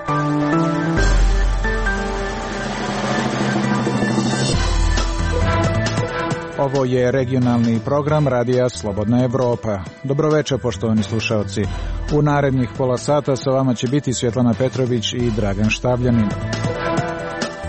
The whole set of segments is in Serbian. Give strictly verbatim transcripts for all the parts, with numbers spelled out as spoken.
Ovo je regionalni program Radija Slobodna Evropa. Dobroveče, poštovani slušaoci. U narednih pola sata sa vama će biti Svjetlana Petrović i Dragan Štavljanin.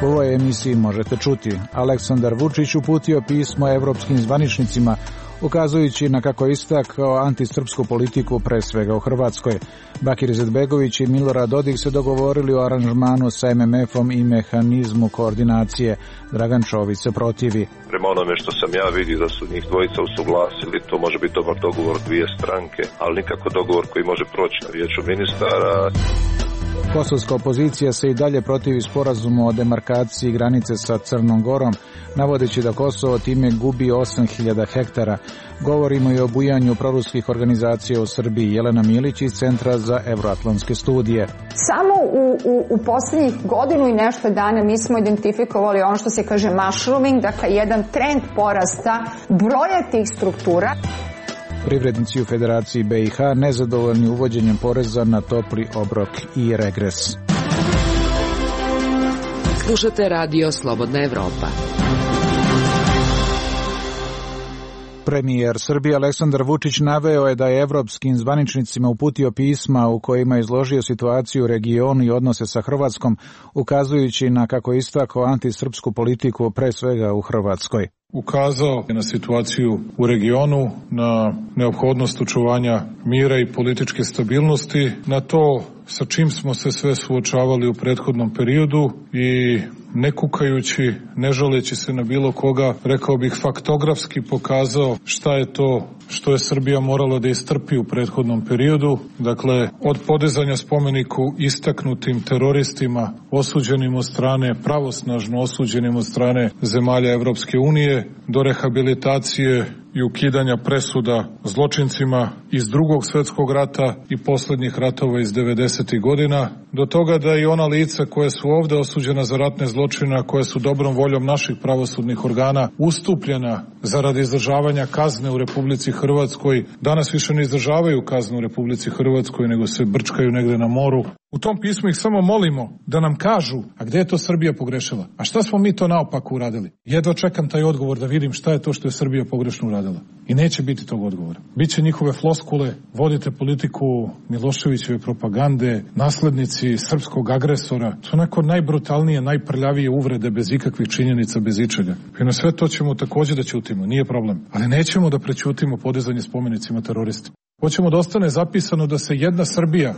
U ovoj emisiji možete čuti: Aleksandar Vučić uputio pismo evropskim zvaničnicima, ukazujući na, kako istakao, antisrpsku politiku pre svega u Hrvatskoj. Bakir Izetbegović i Milorad Dodik se dogovorili o aranžmanu sa em em efom i mehanizmu koordinacije. Dragan Čović se protivi. Prema onome što sam ja vidio da su njih dvojica usuglasili, to može biti dobar dogovor dvije stranke, ali nikako dogovor koji može proći na vijeću ministara. Kosovska opozicija se i dalje protivi sporazumu o demarkaciji granice sa Crnom Gorom, navodeći da Kosovo time gubi osam hiljada hektara. Govorimo i o bujanju proruskih organizacija u Srbiji. Jelena Milić iz Centra za evroatlantske studije. Samo u, u, u posljednjih godinu i nešto dana mi smo identifikovali ono što se kaže mushrooming, dakle jedan trend porasta broja tih struktura. Privrednici u Federaciji be i ha nezadovoljni uvođenjem poreza na topli obrok i regres. Slušate Radio Slobodna Evropa. Premijer Srbije Aleksandar Vučić naveo je da je evropskim zvaničnicima uputio pisma u kojima je izložio situaciju u regionu i odnose sa Hrvatskom, ukazujući na, kako istakao, antisrpsku politiku pre svega u Hrvatskoj. Ukazao je na situaciju u regionu, na neophodnost očuvanja mira i političke stabilnosti, na to sa čim smo se sve suočavali u prethodnom periodu i ne kukajući, ne žaleći se na bilo koga, rekao bih faktografski pokazao šta je to što je Srbija morala da istrpi u prethodnom periodu. Dakle, od podizanja spomeniku istaknutim teroristima, osuđenim od strane, pravosnažno osuđenim od strane zemalja Evropske unije, do rehabilitacije i ukidanja presuda zločincima iz Drugog svjetskog rata i posljednjih ratova iz devedesetih godina, do toga da i ona lica koja su ovde osuđena za ratne zločina, koja su dobrom voljom naših pravosudnih organa ustupljena zaradi izdržavanja kazne u Republici Hrvatskoj, danas više ne izdržavaju kaznu u Republici Hrvatskoj, nego se brčkaju negde na moru. U tom pismu ih samo molimo da nam kažu, a gde je to Srbija pogrešila? A šta smo mi to naopako uradili? Jedva čekam taj odgovor da vidim šta je to što je Srbija pogrešno uradila. I neće biti tog odgovora. Biće njihove floskule, vodite politiku Miloševićeve propagande, naslednici srpskog agresora. To onako najbrutalnije, najprljavije uvrede bez ikakvih činjenica, bez ičega. I na sve to ćemo takođe da ćutimo, nije problem. Ali nećemo da prećutimo podizanje spomenicima teroristima. Hoćemo da ostane zapisano da se jedna Srbija,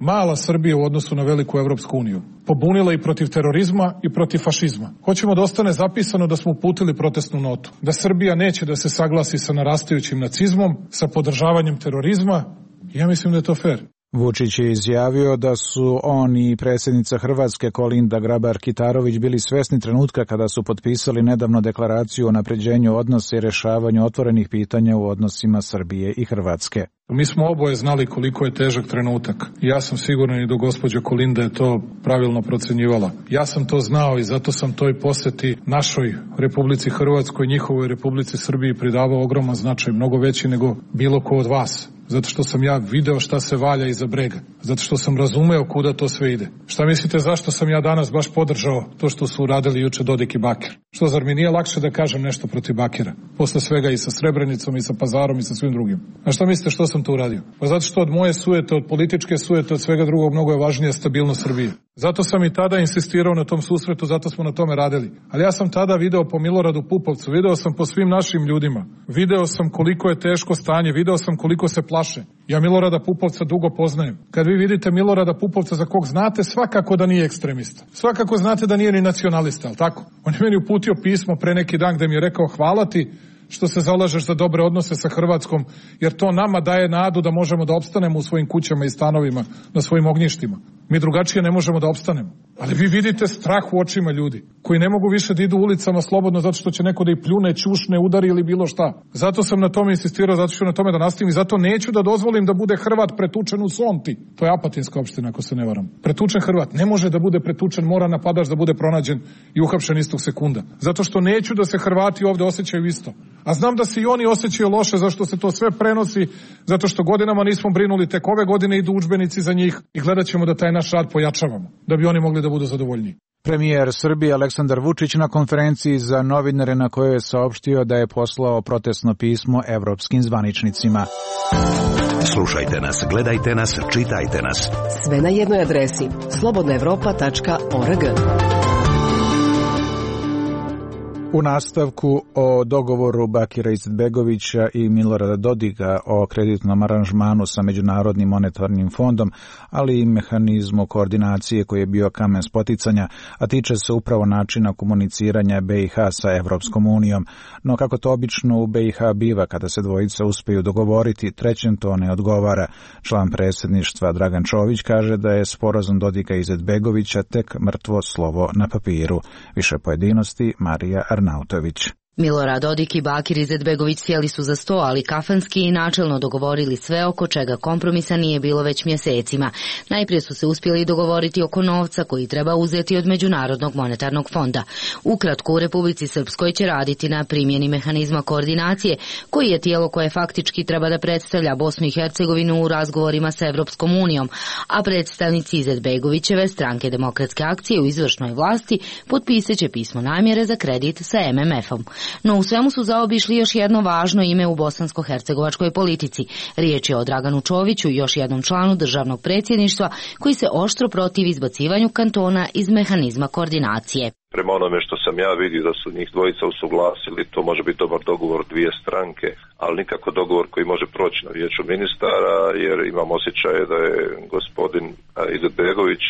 mala Srbija u odnosu na veliku Evropsku uniju, pobunila i protiv terorizma i protiv fašizma. Hoćemo da ostane zapisano da smo uputili protestnu notu, da Srbija neće da se saglasi sa narastajućim nacizmom, sa podržavanjem terorizma. Ja mislim da je to fair. Vučić je izjavio da su on i predsjednica Hrvatske Kolinda Grabar-Kitarović bili svesni trenutka kada su potpisali nedavno deklaraciju o unapređenju odnosa i rešavanju otvorenih pitanja u odnosima Srbije i Hrvatske. Mi smo oboje znali koliko je težak trenutak. Ja sam siguran i do gospođa Kolinda je to pravilno procenjivala. Ja sam to znao i zato sam toj poseti našoj Republici Hrvatskoj, njihovoj Republici Srbiji pridavao ogroman značaj, mnogo veći nego bilo ko od vas. Zato što sam ja video šta se valja iza brega. Zato što sam razumeo kuda to sve ide. Šta mislite zašto sam ja danas baš podržao to što su uradili juče Dodik i Bakir? Što, zar mi nije lakše da kažem nešto protiv Bakira? Posle svega i sa Srebrenicom i sa Pazarom i sa svim drugim. A šta mislite što sam to uradio? Pa zato što od moje sujete, od političke sujete, od svega drugog mnogo je važnije stabilnost Srbije. Zato sam i tada insistirao na tom susretu, zato smo na tome radili. Ali ja sam tada video po Miloradu Pupovcu, video sam po svim našim ljudima. Video sam koliko je teško stanje, video sam koliko se plaše. Ja Milorada Pupovca dugo poznajem. Kad vi vidite Milorada Pupovca za kog znate, svakako da nije ekstremista. Svakako znate da nije ni nacionalista, ali tako? On je meni uputio pismo pre neki dan gde mi je rekao hvala ti što se zalažeš za dobre odnose sa Hrvatskom, jer to nama daje nadu da možemo da opstanemo u svojim kućama i stanovima, na svojim ognjištima. Mi drugačije ne možemo da opstanemo. Ali vi vidite strah u očima ljudi, koji ne mogu više da idu ulicama slobodno zato što će neko da ih pljune, ćušne, udari ili bilo šta. Zato sam na tome insistirao, zato ću na tome da nastavim i zato neću da dozvolim da bude Hrvat pretučen u Sonti. To je Apatinska opština, ako se ne varam. Pretučen Hrvat ne može da bude pretučen, mora napadač da bude pronađen i uhapšen istog sekunda. Zato što neću da se Hrvati ovde osjećaju isto. A znam da se i oni osjećaju loše zašto se to sve prenosi, zato što godinama nismo brinuli, tek ove godine idu udžbenici za njih i gledat ćemo da taj naš rad pojačavamo, da bi oni mogli da budu zadovoljniji. Premijer Srbije Aleksandar Vučić na konferenciji za novinare na kojoj je saopštio da je poslao protestno pismo evropskim zvaničnicima. Slušajte nas, gledajte nas, čitajte nas. Sve na jednoj adresi slobodna evropa tačka org. U nastavku o dogovoru Bakira Izetbegovića i Milorada Dodika o kreditnom aranžmanu sa Međunarodnim monetarnim fondom, ali i mehanizmu koordinacije koji je bio kamen spoticanja, a tiče se upravo načina komuniciranja B i H sa Evropskom unijom. No kako to obično u B i H biva, kada se dvojica uspeju dogovoriti, trećem to ne odgovara. Član predsjedništva Dragan Čović kaže da je sporazum Dodika i Izetbegovića tek mrtvo slovo na papiru. Više pojedinosti Marija Arnautović. Milorad Dodik i Bakir Izetbegović sjeli su za sto, ali kafanski i načelno dogovorili sve oko čega kompromisa nije bilo već mjesecima. Najprije su se uspjeli dogovoriti oko novca koji treba uzeti od Međunarodnog monetarnog fonda. Ukratko, u Republici Srpskoj će raditi na primjeni mehanizma koordinacije, koji je tijelo koje faktički treba da predstavlja Bosnu i Hercegovinu u razgovorima sa Evropskom unijom, a predstavnici Izetbegovićeve stranke Demokratske akcije u izvršnoj vlasti potpisat će pismo namjere za kredit sa M M F-om. No u svemu su zaobišli još jedno važno ime u bosansko-hercegovačkoj politici. Riječ je o Draganu Čoviću, još jednom članu državnog predsjedništva, koji se oštro protivi izbacivanju kantona iz mehanizma koordinacije. Prema onome što sam ja vidio da su njih dvojica usuglasili, to može biti dobar dogovor dvije stranke, ali nikako dogovor koji može proći na vijeću ministara, jer imam osjećaj da je gospodin Izetbegović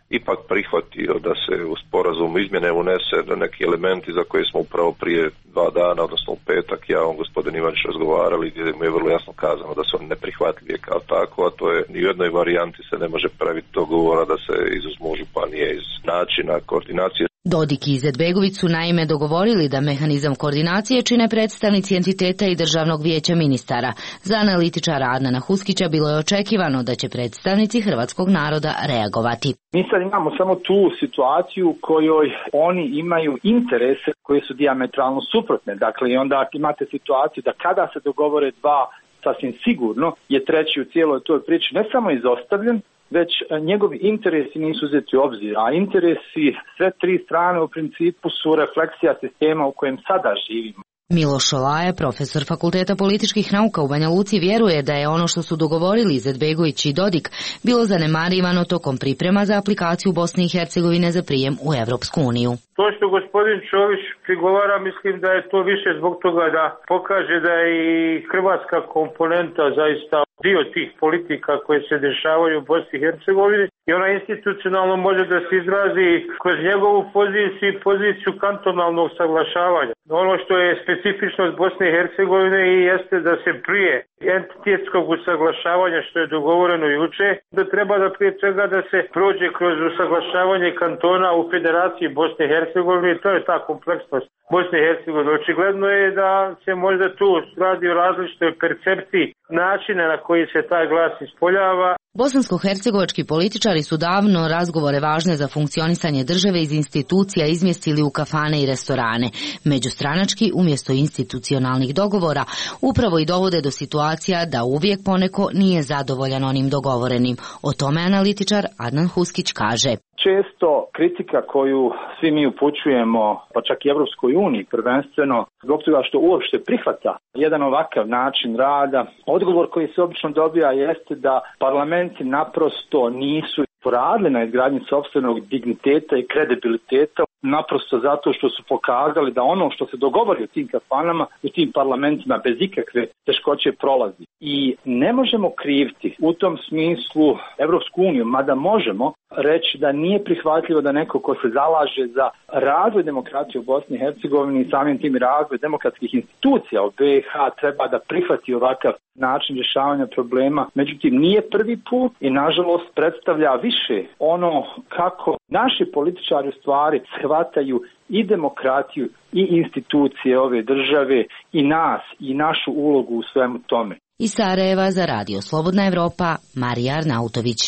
ipak prihvatio da se u sporazumu izmjene unese neki elementi za koje smo upravo prije dva dana, odnosno u petak, ja on gospodin Ivanić razgovarali, gdje mu je vrlo jasno kazano da su oni neprihvatljivi kao tako, a to je ni u jednoj varijanti se ne može praviti dogovora da se izuzmu županije iz načina koordinacije. Dodik i Izetbegović su naime dogovorili da mehanizam koordinacije čine predstavnici entiteta i Državnog vijeća ministara. Za analitičara Adnana Huskića bilo je očekivano da će predstavnici hrvatskog naroda reagovati. Mi sad imamo samo tu situaciju u kojoj oni imaju interese koje su dijametralno suprotne. Dakle, i onda imate situaciju da kada se dogovore dva, sasvim sigurno je treći u cijeloj toj priči ne samo izostavljen, već njegovi interesi nisu uzeti u obzir, a interesi sve tri strane u principu su refleksija sistema u kojem sada živimo. Miloš Šolaje, profesor Fakulteta političkih nauka u Banja Luci, vjeruje da je ono što su dogovorili Izetbegović i Dodik bilo zanemarivano tokom priprema za aplikaciju Bosne i Hercegovine za prijem u Evropsku uniju. To što gospodin Čović prigovara, mislim da je to više zbog toga da pokaže da je i hrvatska komponenta zaista dio tih politika koje se dešavaju u Bosni i Hercegovini i ona institucionalno može da se izrazi kroz njegovu poziciju i poziciju kantonalnog saglašavanja. Ono što je specifičnost Bosne i Hercegovine i jeste da se prije entitetskog usaglašavanja, što je dogovoreno juče, da treba da prije svega da se prođe kroz usaglašavanje kantona u Federaciji Bosne i Hercegovine i to je ta kompleksnost Bosne i Hercegovine. Očigledno je da se možda tu radi o različitoj percepciji načina na koji se taj glas ispoljava. Bosansko-hercegovački političari su davno razgovore važne za funkcionisanje države iz institucija izmjestili u kafane i restorane. Međustranački, umjesto institucionalnih dogovora, upravo i dovode do situacija da uvijek poneko nije zadovoljan onim dogovorenim. O tome analitičar Adnan Huskić kaže. Često kritika koju svi mi upućujemo, pa čak i Evropskoj uniji prvenstveno, zbog toga što uopšte prihvata jedan ovakav način rada, odgovor koji se obično dobija jeste da parlamenti naprosto nisu poradili na izgradnji sopstvenog digniteta i kredibiliteta, naprosto zato što su pokazali da ono što se dogovori u tim kafanama, u tim parlamentima bez ikakve teškoće prolazi. I ne možemo kriviti u tom smislu Evropsku uniju, mada možemo reći da nije prihvatljivo da neko ko se zalaže za razvoj demokratije u Bosni i Hercegovini i samim tim razvoj demokratskih institucija u B i H treba da prihvati ovakav način rješavanja problema. Međutim, nije prvi put i nažalost predstavlja više ono kako naši političari u stvari shvataju i demokratiju i institucije ove države i nas i našu ulogu u svemu tome. Iz Sarajeva za Radio Slobodna Evropa, Marija Arnautović.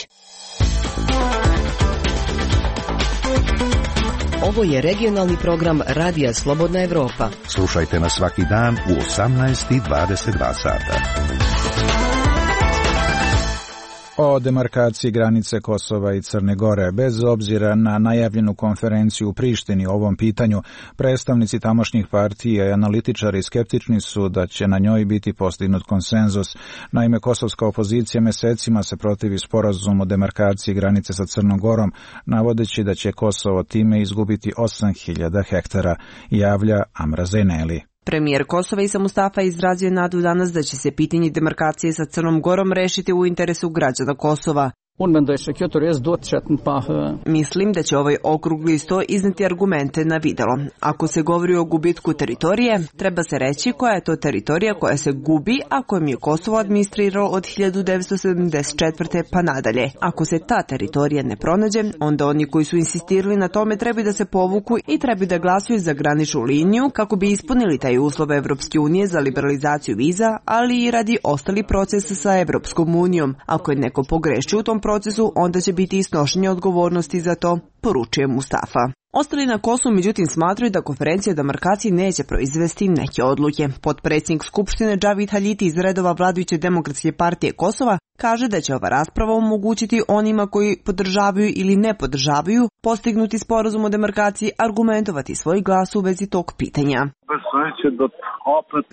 Ovo je regionalni program Radija Slobodna Evropa. Slušajte nas svaki dan u osamnaest i dvadeset dva sata. O demarkaciji granice Kosova i Crne Gore. Bez obzira na najavljenu konferenciju u Prištini o ovom pitanju, predstavnici tamošnjih partija i analitičari skeptični su da će na njoj biti postignut konsenzus. Naime, kosovska opozicija mesecima se protivi sporazumu o demarkaciji granice sa Crnom Gorom, navodeći da će Kosovo time izgubiti osam hiljada hektara, javlja Amra Zejneli. Premijer Kosova Isa Mustafa izrazio nadu danas da će se pitanje demarkacije sa Crnom Gorom rešiti u interesu građana Kosova. Mislim da će ovaj okrugli sto izneti argumente na videlo. Ako se govori o gubitku teritorije, treba se reći koja je to teritorija koja se gubi, a kojom je Kosovo administriralo od hiljadu devetsto sedamdeset četvrte pa nadalje. Ako se ta teritorija ne pronađe, onda oni koji su insistirali na tome treba da se povuku i treba da glasuju za graničnu liniju kako bi ispunili taj uslov Evropske unije za liberalizaciju viza, ali i radi ostali proces sa Evropskom unijom. Ako je neko pogrešio u tom procesu, onda će biti i snošenje odgovornosti za to, poručuje Mustafa. Ostali na Kosovu međutim smatraju da konferencija o demarkaciji neće proizvesti neke odluke. Potpredsjednik Skupštine Džavid Haljiti iz redova vladajuće Demokratske partije Kosova kaže da će ova rasprava omogućiti onima koji podržavaju ili ne podržavaju postignuti sporazum o demarkaciji argumentovati svoj glas u vezi tog pitanja.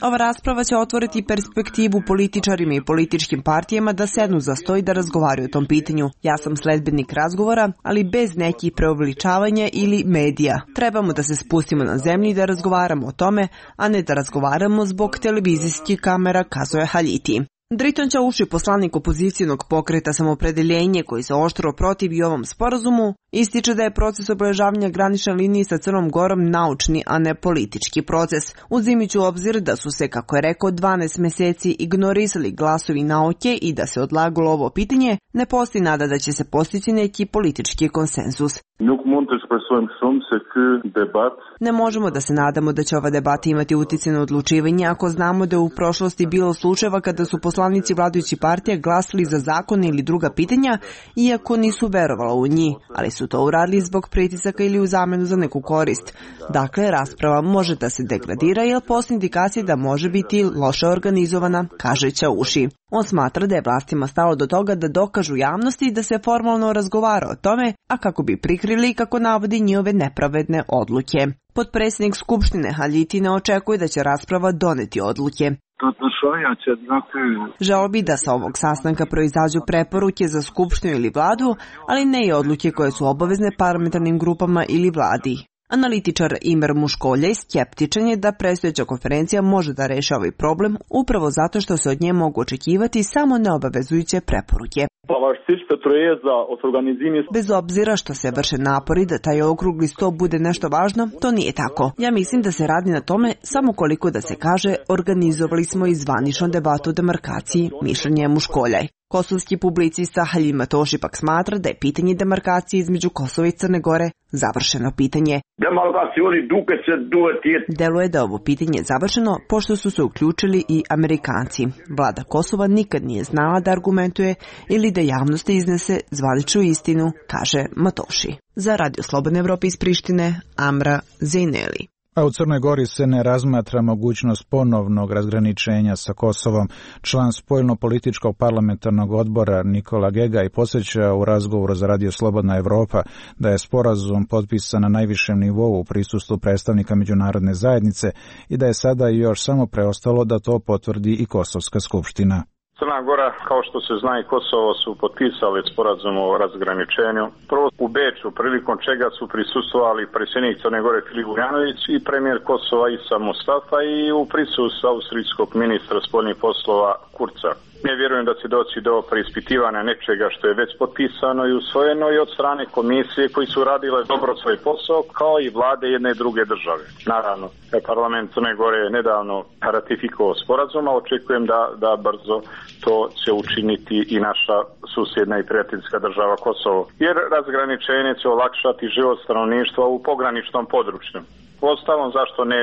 Ova rasprava će otvoriti perspektivu političarima i političkim partijama da sednu za sto i da razgovaraju o tom pitanju. Ja sam sledbenik razgovora, ali bez nekih preuveličavanja ili medija. Trebamo da se spustimo na zemlji i da razgovaramo o tome, a ne da razgovaramo zbog televizijskih kamera, kazuje Haljiti. Driton Ćauši, poslanik opozicijonog pokreta Samopredeljenje koji se oštro protivi ovom sporazumu, ističe da je proces obeležavanja granične linije sa Crnom Gorom naučni, a ne politički proces. Uzimajući u obzir da su se, kako je rekao, dvanaest meseci ignorisali glasovi nauke i da se odlagalo ovo pitanje, ne postoji nada da će se postići neki politički konsenzus. Ne možemo da se nadamo da će ova debata imati utjecaj na odlučivanje ako znamo da je u prošlosti bilo slučajeva kada su poslanici vladajućih partija glasali za zakon ili druga pitanja, iako nisu verovali u njih, ali su to uradili zbog pritisaka ili u zamenu za neku korist. Dakle, rasprava može da se degradira jer postoji indikacije da može biti loše organizovana, kaže Ćauši. On smatra da je vlastima stalo do toga da dokažu javnosti da se formalno razgovara o tome, a kako bi prikrili kako navodi njihove nepravedne odluke. Potpredsjednik Skupštine Haljiti ne očekuje da će rasprava doneti odluke. Želeo bi da sa ovog sastanka proizađu preporuke za Skupštinu ili vladu, ali ne i odluke koje su obavezne parlamentarnim grupama ili vladi. Analitičar Imer Muškoljej skeptičan je da predstojeća konferencija može da reši ovaj problem upravo zato što se od nje mogu očekivati samo neobavezujuće preporuke. Bez obzira što se vrše napori da taj okrugli sto bude nešto važno, to nije tako. Ja mislim da se radi na tome samo koliko da se kaže organizovali smo i zvaničnu debatu o demarkaciji, mišljenje Muškoljaj. Kosovski publicista Haljim Matoši pak smatra da je pitanje demarkacije između Kosova i Crne Gore završeno pitanje. Deluje da ovo pitanje je završeno pošto su se uključili i Amerikanci. Vlada Kosova nikad nije znala da argumentuje ili da javnosti iznese zvaničnu istinu, kaže Matoši. Za Radio Slobodne Evrope iz Prištine, Amra Zejneli. A u Crnoj Gori se ne razmatra mogućnost ponovnog razgraničenja sa Kosovom. Član spoljno-političkog parlamentarnog odbora Nikola Gegaj posjeća u razgovoru za Radio Slobodna Evropa da je sporazum potpisan na najvišem nivou u prisustvu predstavnika međunarodne zajednice i da je sada još samo preostalo da to potvrdi i Kosovska skupština. Crna Gora, kao što se zna i Kosovo, su potpisali sporazum o razgraničenju. Prvo u Beču, prilikom čega su prisustvovali predsjednik Crne Gore Filip Vujanović i premijer Kosova Isa Mustafa i u prisustvu austrijskog ministra spoljnih poslova Kurza. Ne vjerujem da će doći do preispitivanja nečega što je već potpisano i usvojeno i od strane komisije koji su radile dobro svoj posao, kao i vlade jedne i druge države. Naravno, parlament Crne Gore je nedavno ratifikovao sporazum, a očekujem da, da brzo to će učiniti i naša susjedna i prijateljska država Kosovo. Jer razgraničenje će olakšati život stanovništva u pograničnom području. Uostalom, zašto ne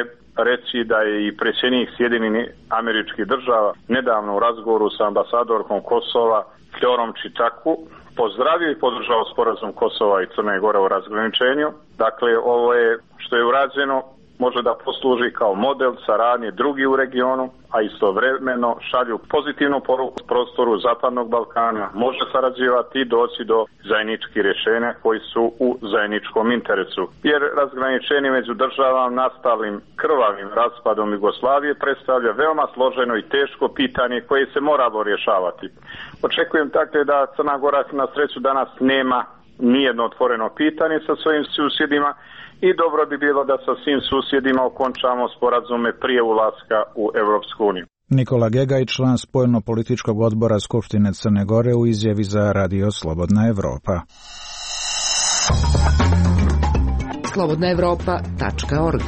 reći da je i predsjednik Sjedinjenih Američkih Država nedavno u razgovoru sa ambasadorkom Kosova Fljorom Čitaku pozdravio i podržao sporazum Kosova i Crne Gore o razgraničenju. Dakle, ovo je što je urađeno može da posluži kao model saradnje drugi u regionu, a istovremeno šalju pozitivnu poruku prostoru Zapadnog Balkana, može sarađivati i doći do zajedničkih rješenja koji su u zajedničkom interesu. Jer razgraničenje među državama nastalim krvavim raspadom Jugoslavije predstavlja veoma složeno i teško pitanje koje se moralo rješavati. Očekujem dakle da Crna Gora na sreću danas nema nijedno otvoreno pitanje sa svojim susjedima, i dobro bi bilo da sa svim susjedima okončamo sporazume prije ulaska u Evropsku uniju. Nikola Gegaj, član spoljno-političkog odbora Skupštine Crne Gore, u izjavi za Radio Slobodna Evropa. slobodna evropa tačka org.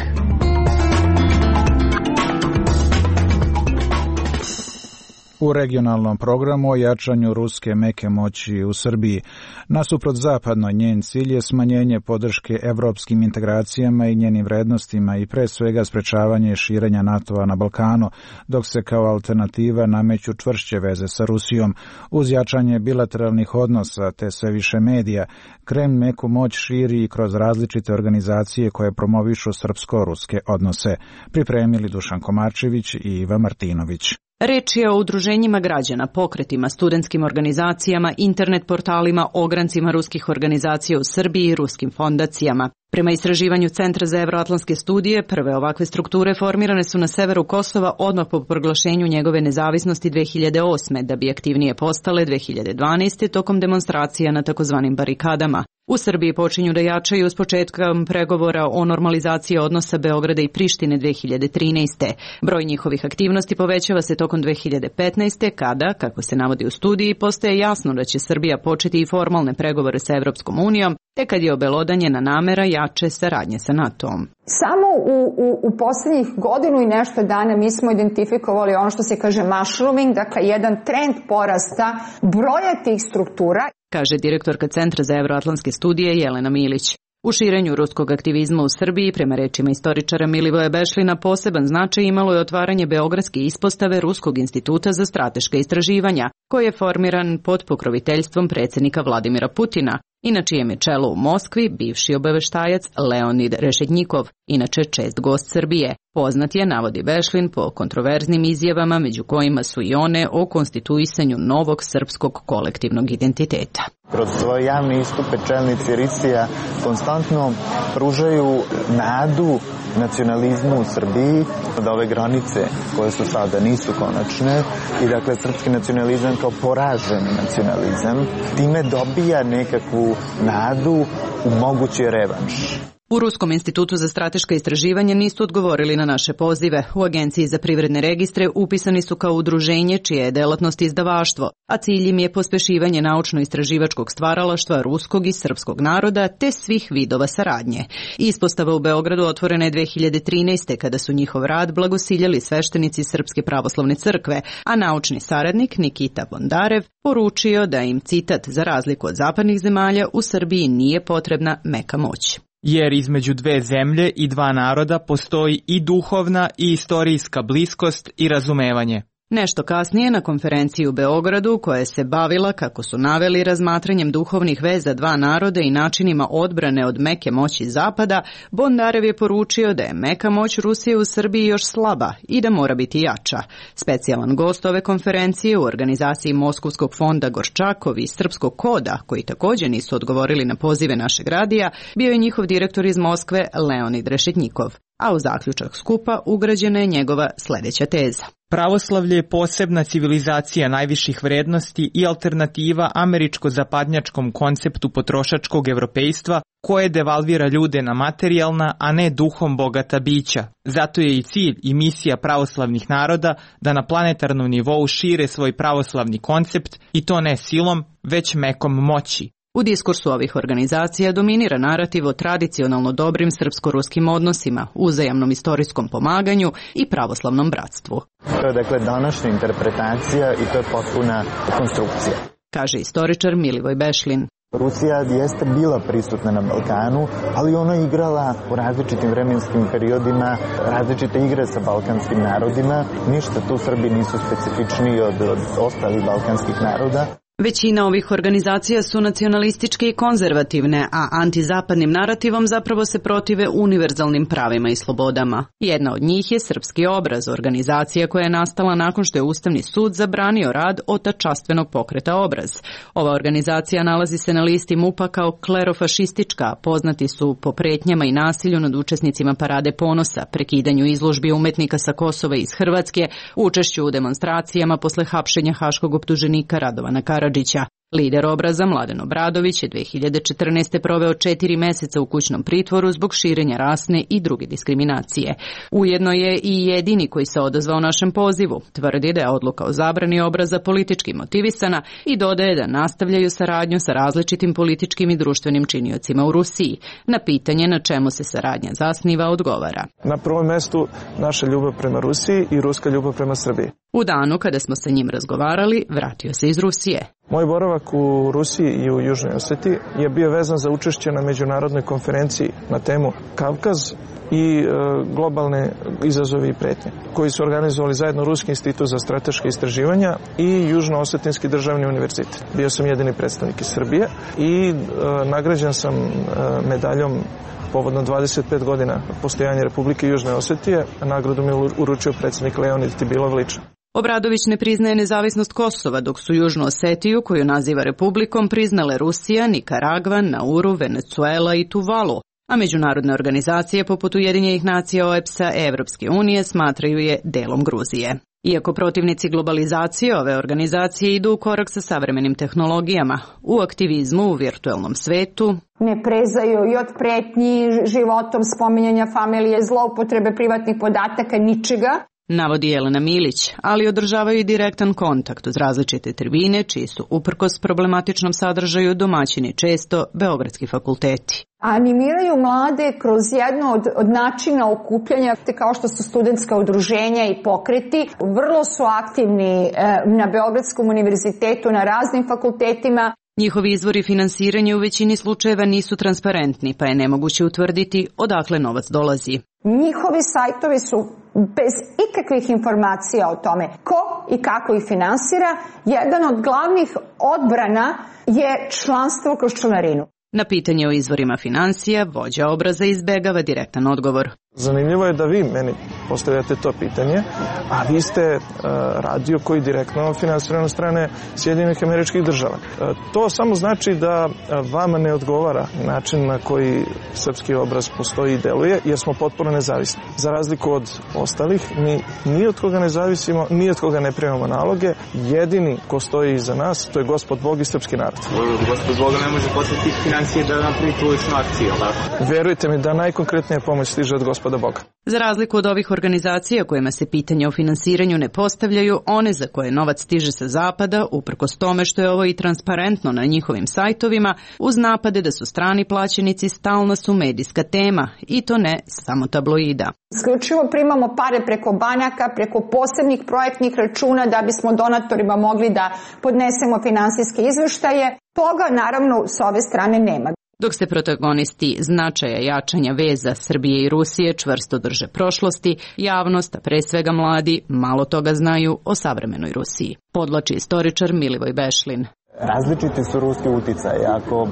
U regionalnom programu o jačanju ruske meke moći u Srbiji. Nasuprot zapadnoj, njen cilj je smanjenje podrške evropskim integracijama i njenim vrednostima i pre svega sprečavanje širenja NATO-a na Balkanu, dok se kao alternativa nameću čvršće veze sa Rusijom. Uz jačanje bilateralnih odnosa te sve više medija, Kreml meku moć širi i kroz različite organizacije koje promovišu srpsko-ruske odnose. Pripremili Dušan Komarčević i Iva Martinović. Reč je o udruženjima građana, pokretima, studentskim organizacijama, internet portalima, ograncima ruskih organizacija u Srbiji i ruskim fondacijama. Prema istraživanju Centra za evroatlantske studije, prve ovakve strukture formirane su na severu Kosova odmah po proglašenju njegove nezavisnosti dve hiljade osme, da bi aktivnije postale dve hiljade dvanaeste. tokom demonstracija na takozvanim barikadama. U Srbiji počinju da jačaju s početkom pregovora o normalizaciji odnosa Beograda i Prištine dve hiljade trinaeste. Broj njihovih aktivnosti povećava se tokom dve hiljade petnaeste. kada, kako se navodi u studiji, postaje jasno da će Srbija početi i formalne pregovore sa Evropskom unijom, te kad je obelodanjena namera jače saradnje sa NATO-om. Samo u, u, u posljednjih godinu i nešto dana mi smo identifikovali ono što se kaže mushrooming, dakle jedan trend porasta broja tih struktura, kaže direktorka Centra za evroatlantske studije Jelena Milić. U širenju ruskog aktivizma u Srbiji, prema rečima istoričara Milivoja Bešlina, poseban značaj imalo je otvaranje Beogradske ispostave Ruskog instituta za strateška istraživanja, koji je formiran pod pokroviteljstvom predsjednika Vladimira Putina i na čijem je čelu u Moskvi bivši obaveštajac Leonid Rešetnjikov, inače čest gost Srbije. Poznat je, navodi Bešlin, po kontroverznim izjavama, među kojima su i one o konstituisanju novog srpskog kolektivnog identiteta. Kroz svoje javne istupe čelnici Risija konstantno pružaju nadu nacionalizmu u Srbiji, da ove granice koje su sada nisu konačne i dakle srpski nacionalizam kao poraženi nacionalizam time dobija nekakvu nadu u mogući revanš. U Ruskom institutu za strateška istraživanja nisu odgovorili na naše pozive. U Agenciji za privredne registre upisani su kao udruženje čije je delatnost izdavaštvo, a cilj im je pospešivanje naučno-istraživačkog stvaralaštva ruskog i srpskog naroda te svih vidova saradnje. Ispostava u Beogradu otvorena je dve hiljade trinaeste. kada su njihov rad blagosiljali sveštenici Srpske pravoslavne crkve, a naučni saradnik Nikita Bondarev poručio da im, citat, za razliku od zapadnih zemalja, u Srbiji nije potrebna meka moć. Jer između dve zemlje i dva naroda postoji i duhovna i istorijska bliskost i razumevanje. Nešto kasnije, na konferenciji u Beogradu, koja se bavila, kako su naveli, razmatranjem duhovnih veza dva naroda i načinima odbrane od meke moći Zapada, Bondarev je poručio da je meka moć Rusije u Srbiji još slaba i da mora biti jača. Specijalan gost ove konferencije u organizaciji Moskovskog fonda Gorčakov i Srpskog koda, koji također nisu odgovorili na pozive našeg radija, bio je njihov direktor iz Moskve Leonid Rešetnjikov. A u zaključak skupa ugrađena je njegova sljedeća teza. Pravoslavlje je posebna civilizacija najviših vrednosti i alternativa američko-zapadnjačkom konceptu potrošačkog evropejstva koje devalvira ljude na materijalna, a ne duhom bogata bića. Zato je i cilj i misija pravoslavnih naroda da na planetarnom nivou šire svoj pravoslavni koncept i to ne silom, već mekom moći. U diskursu ovih organizacija dominira narativ o tradicionalno dobrim srpsko-ruskim odnosima, uzajamnom istorijskom pomaganju i pravoslavnom bratstvu. To je dakle današnja interpretacija i to je potpuna konstrukcija, kaže istoričar Milivoj Bešlin. Rusija jeste bila prisutna na Balkanu, ali ona je igrala u različitim vremenskim periodima različite igre sa balkanskim narodima. Ništa tu Srbi nisu specifičniji od, od ostalih balkanskih naroda. Većina ovih organizacija su nacionalističke i konzervativne, a antizapadnim narativom zapravo se protive univerzalnim pravima i slobodama. Jedna od njih je Srpski obraz, organizacija koja je nastala nakon što je Ustavni sud zabranio rad otačastvenog pokreta Obraz. Ova organizacija nalazi se na listi MUP-a kao klerofašistička, poznati su po pretnjama i nasilju nad učesnicima Parade ponosa, prekidanju izložbi umetnika sa Kosova iz Hrvatske, učešću u demonstracijama posle hapšenja haškog optuženika Radovana Karadžića. Lider Obraza, Mladen Obradović, je dve hiljade četrnaeste. proveo četiri meseca u kućnom pritvoru zbog širenja rasne i druge diskriminacije. Ujedno je i jedini koji se odazvao našem pozivu. Tvrdi da je odluka o zabrani Obraza politički motivisana i dodaje da nastavljaju saradnju sa različitim političkim i društvenim činiocima u Rusiji. Na pitanje na čemu se saradnja zasniva odgovara. Na prvom mestu naša ljubav prema Rusiji i ruska ljubav prema Srbiji. U danu kada smo sa njim razgovarali, vratio se iz Rusije. Moj boravak u Rusiji i u Južnoj Osetiji je bio vezan za učešće na međunarodnoj konferenciji na temu Kavkaz i e, globalne izazovi i pretnje, koji su organizovali zajedno Ruski institut za strateške istraživanja i Južno-Osetinski državni univerzitet. Bio sam jedini predstavnik iz Srbije i e, nagrađen sam e, medaljom povodno dvadeset pet godina postojanja Republike Južne Osetije, a nagradu mi je uručio predsjednik Leonid Tibilov lično. Obradović ne priznaje nezavisnost Kosova, dok su Južnu Osetiju, koju naziva republikom, priznale Rusija, Nikaragva, Nauru, Venezuela i Tuvalu, a međunarodne organizacije poput Ujedinjenih nacija, O E B S-a, Evropske unije smatraju je delom Gruzije. Iako protivnici globalizacije ove organizacije idu u korak sa savremenim tehnologijama, u aktivizmu u virtuelnom svetu ne prezaju i od pretnji životom, spominjanja familije, zloupotrebe privatnih podataka, ničega, navodi Jelena Milić, ali održavaju i direktan kontakt uz različite tribine, čiji su uprkos problematičnom sadržaju domaćini često beogradski fakulteti. Animiraju mlade kroz jedno od, od načina okupljanja, kao što su studentska udruženja i pokreti. Vrlo su aktivni e, na Beogradskom univerzitetu, na raznim fakultetima. Njihovi izvori finansiranja u većini slučajeva nisu transparentni, pa je nemoguće utvrditi odakle novac dolazi. Njihovi sajtovi su bez ikakvih informacija o tome ko i kako ih finansira. Jedan od glavnih odbrana je članstvo kroz članarinu. Na pitanje o izvorima finansija, vođa Obraza izbegava direktan odgovor. Zanimljivo je da vi meni postavljate to pitanje, a vi ste uh, radio koji direktno finansirano strane Sjedinjenih Američkih Država. Uh, to samo znači da uh, vama ne odgovara način na koji Srpski obraz postoji i deluje, jer smo potpuno nezavisni. Za razliku od ostalih, mi ni od koga ne zavisimo, ni od koga ne primamo naloge. Jedini ko stoji iza nas, to je Gospod Bog i srpski narod. Gospod Boga ne može poslati financije da napravi tu ličnu akciju, ali? Verujte mi da najkonkretnija pomoć stiže od Gospoda Boga. Za razliku od ovih organizacija kojima se pitanja o finansiranju ne postavljaju, one za koje novac stiže sa zapada, uprkos tome što je ovo i transparentno na njihovim sajtovima, uz napade da su strani plaćenici stalna su medijska tema, i to ne samo tabloida. Isključivo primamo pare preko banaka, preko posebnih projektnih računa da bismo donatorima mogli da podnesemo finansijske izveštaje. Toga naravno s ove strane nema. Dok se protagonisti značaja jačanja veza Srbije i Rusije čvrsto drže prošlosti, javnost, a pre svega mladi, malo toga znaju o savremenoj Rusiji. Podlači istoričar Milivoj Bešlin. Različiti su ruski uticaji. Ako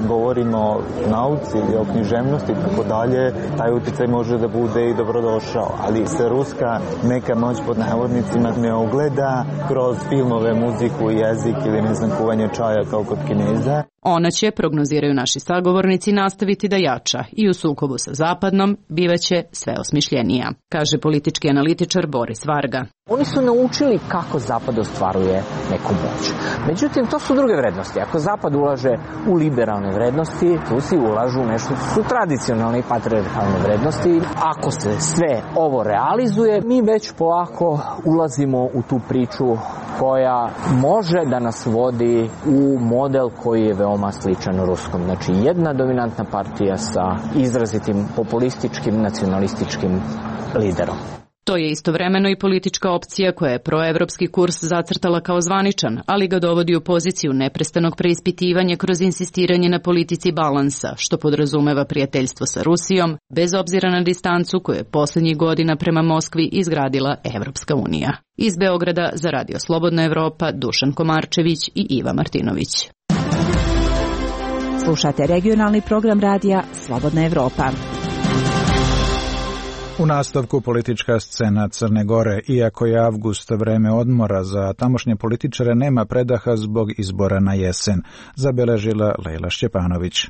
govorimo o nauci ili o književnosti i tako dalje, taj uticaj može da bude i dobrodošao. Ali se ruska neka moć pod navodnicima ne ogleda kroz filmove, muziku, jezik ili ne znam kuvanje čaja kao kod Kineza. Ona će, prognoziraju naši sagovornici, nastaviti da jača i u sukobu sa Zapadnom bivaće sve osmišljenija, kaže politički analitičar Boris Varga. Oni su naučili kako Zapad ostvaruje neku moć. Međutim, to su druge vrednosti. Ako Zapad ulaže u liberalne vrednosti, Rusi ulažu nešto su tradicionalne i patriarhalne vrednosti. Ako se sve ovo realizuje, mi već polako ulazimo u tu priču koja može da nas vodi u model koji je veoma sličan ruskom. Znači, jedna dominantna partija sa izrazitim populističkim, nacionalističkim liderom. To je istovremeno i politička opcija koja je proevropski kurs zacrtala kao zvaničan, ali ga dovodi u poziciju neprestanog preispitivanja kroz insistiranje na politici balansa, što podrazumeva prijateljstvo sa Rusijom, bez obzira na distancu koju je posljednjih godina prema Moskvi izgradila Evropska unija. Iz Beograda za Radio Slobodna Evropa, Dušan Komarčević i Iva Martinović. Slušate regionalni program radija Slobodna Evropa. U nastavku politička scena Crne Gore, iako je avgust vreme odmora za tamošnje političare, nema predaha zbog izbora na jesen, zabeležila Lejla Šćepanović.